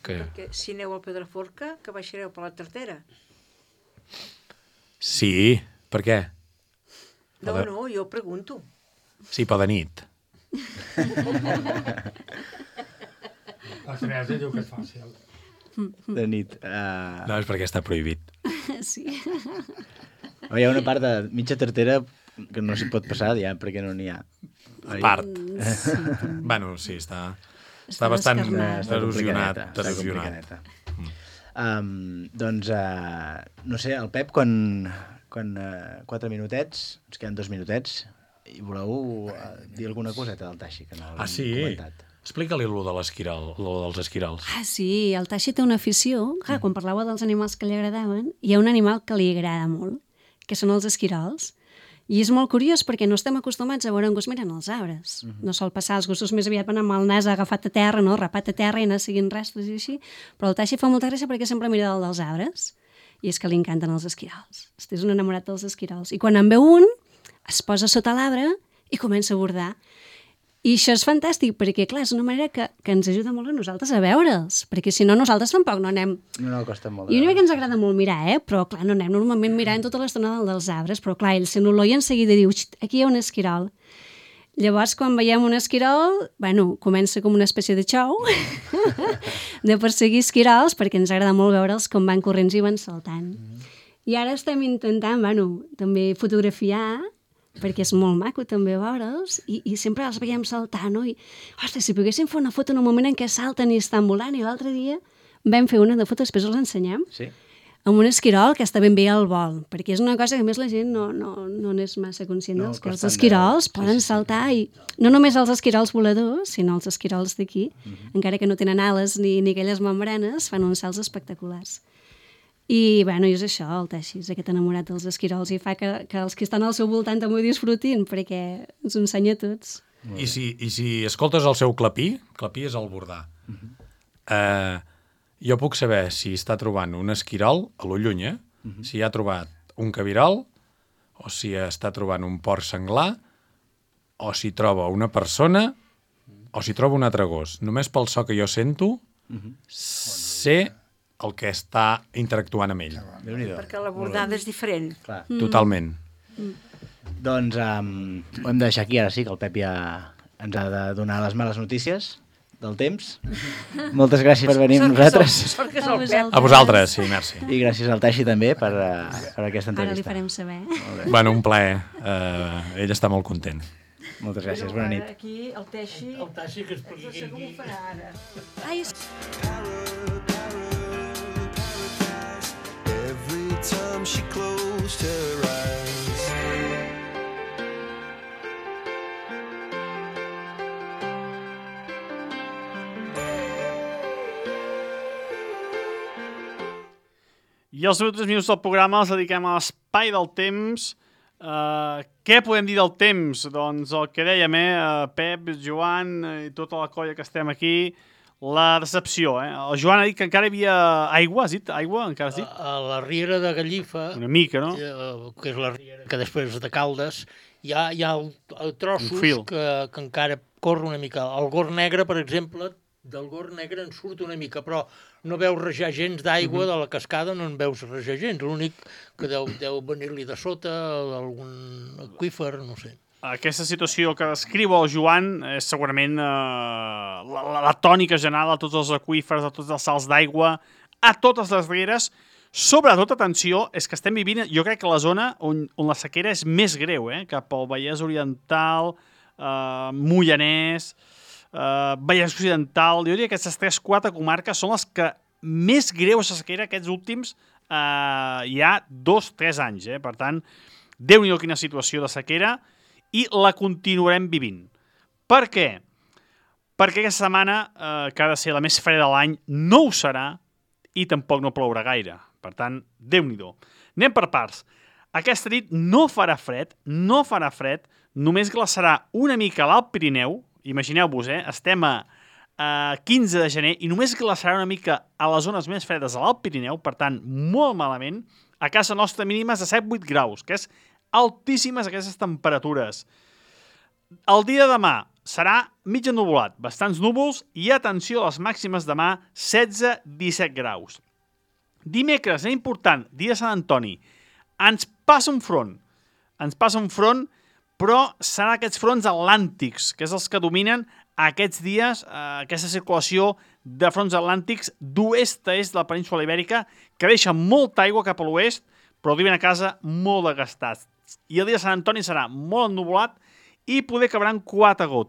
que... Perquè si aneu al Pedraforca, que baixareu per la Tartera. Sí, per què? No, de- no, jo pregunto. Sí, però de nit. La Teresa diu que és fàcil. De nit. Uh... No, és perquè està prohibit. Sí. Hi ha una part de mitja tartera que no s'hi pot passar ja perquè no n'hi ha. Oi? Part. Sí, també. Bueno, sí, està, està, Està bastant descarnat. Està erosionat. complicadeta, està erosionat. complicadeta. Um, doncs, uh, no sé, el Pep, quan, quan uh, quatre minutets, ens queden dos minutets, i voleu uh, dir alguna coseta del Taixi, que no l'hem Ah, sí? comentat. Explica-li allò de l'esquiral, allò dels esquirals. Ah, sí, el Taixi té una afició. Clar, quan parlava dels animals que li agradaven, hi ha un animal que li agrada molt, que són els esquirols. I és molt curiós perquè no estem acostumats a veure un gos mirant els arbres. Uh -huh. No sol passar, els gossos més aviat van amb el nas agafat a terra, no? Rapat a terra i anar seguint rastres i així, però el Taixi fa molta gràcia perquè sempre mira dalt dels arbres. I és que li encanten els esquirols. Este és un enamorat dels esquirols. I quan en veu un, es posa sota l'arbre i comença a bordar. I això és fantàstic, perquè, clar, és una manera que, que ens ajuda molt a nosaltres a veure'ls, perquè si no, nosaltres tampoc no anem... No, no, costa molt. I una mica ens agrada molt mirar, eh? Però, clar, no anem normalment mirant tota l'estona dalt dels arbres, però, clar, ell sent olor i en seguida diu, aquí hi ha un esquirol. Llavors, quan veiem un esquirol, bueno, comença com una espècie de xou de perseguir esquirols, perquè ens agrada molt veure'ls com van corrents i van saltant. Mm. I ara estem intentant, bueno, també fotografiar, perquè és molt maco també veure'ls, i, i sempre els veiem saltar, no? I, ostres, si poguéssim fer una foto en un moment en què salten i estan volant, i l'altre dia vam fer una de foto, després us l'ensenyem, Sí. amb un esquirol que està ben bé al vol, perquè és una cosa que a més la gent no, no, no n'és massa conscient, No, dels que els costen esquirols de- poden sí, sí, sí. saltar, i no només els esquirols voladors, sinó els esquirols d'aquí, Mhm. encara que no tenen ales ni, ni aquelles membranes, fan uns salts espectaculars. I, bueno, i és això, el Taixi, és aquest enamorat dels esquirols, i fa que, que els que estan al seu voltant també ho disfrutin, perquè ens ho ensenya a tots. I si, I si escoltes el seu clapí, clapí és el bordar. Uh -huh. uh, jo puc saber si està trobant un esquirol a lo lluny, eh? Uh -huh. Si ha trobat un cabirol, o si està trobant un porc senglar, o si troba una persona, o si troba un altre gos. Només pel so que jo sento, uh -huh. sé el que està interactuant amb ell. Perquè la bordada és diferent. Clar. Mm. Totalment. Mm. Doncs um, ho hem de deixar aquí, ara sí, que el Pep ja ens ha de donar les males notícies del temps. Moltes gràcies per venir amb nosaltres. Sort que és el Pep. A vosaltres, sí, merci. I gràcies al Taixi també per, uh, per aquesta Ara li entrevista. farem saber. Bueno, un plaer. Uh, ell està molt content. Moltes gràcies, bona nit. Aquí el Teixi... El Taixi que expliqui No sé com ho farà ara. Ai, és... Every time she closed her eyes. I els últims minuts del programa els dediquem a l'espai del temps. Uh, què podem dir del temps? Doncs el que dèiem, eh? Uh, Pep, Joan i tota la colla que estem aquí, la decepció, eh? El Joan ha dit que encara hi havia aigua, has dit? Aigua, encara has dit? A, a la riera de Gallifa, Una mica, no? eh, que és la riera que després de Caldes, hi ha, hi ha el, el trossos Un fil. que, que encara corre una mica. El Gor Negre, per exemple, del Gor Negre en surt una mica, però no veus rajar gens d'aigua, de la cascada no en veus rajar gens. L'únic que deu, deu venir-li de sota, algun aqüífer, no sé. Aquesta situació que descriu el Joan és segurament eh, la, la, la tònica general a tots els aqüífers, a tots els salts d'aigua, a totes les rieres. Sobretot, atenció, és que estem vivint, jo crec que la zona on, on la sequera és més greu, eh? Cap al Vallès Oriental, eh, Moianès, eh, Vallès Occidental. Jo diria que aquestes tres quatre comarques són les que més greu és la sequera aquests últims eh, ja dos tres anys. Eh? Per tant, Déu-n'hi-do quina situació de sequera, i la continuarem vivint. Per què? Perquè aquesta setmana, eh, que ha de ser la més freda de l'any, no ho serà i tampoc no plourà gaire. Per tant, Déu-n'hi-do. Anem per parts. Aquesta nit no farà fred, no farà fred, només glaçarà una mica a l'Alt Pirineu. Imagineu-vos, eh? Estem a, a quinze de gener i només glaçarà una mica a les zones més fredes de l'Alt Pirineu, per tant, molt malament. A casa nostra mínimes de set vuit graus, que és altíssimes aquestes temperatures. El dia de demà serà mig ennuvolat, bastants núvols i atenció a les màximes demà, setze disset graus. Dimecres, és important, dia de Sant Antoni, ens passa un front, ens passa un front, però serà aquests fronts atlàntics, que és els que dominen aquests dies, eh, aquesta circulació de fronts atlàntics d'oest a est de la península Ibèrica, que deixa molta aigua cap a l'oest, però arriben a casa molt desgastats. I el dia de Sant Antoni serà molt ennuvolat i poder cabran quatre gotes.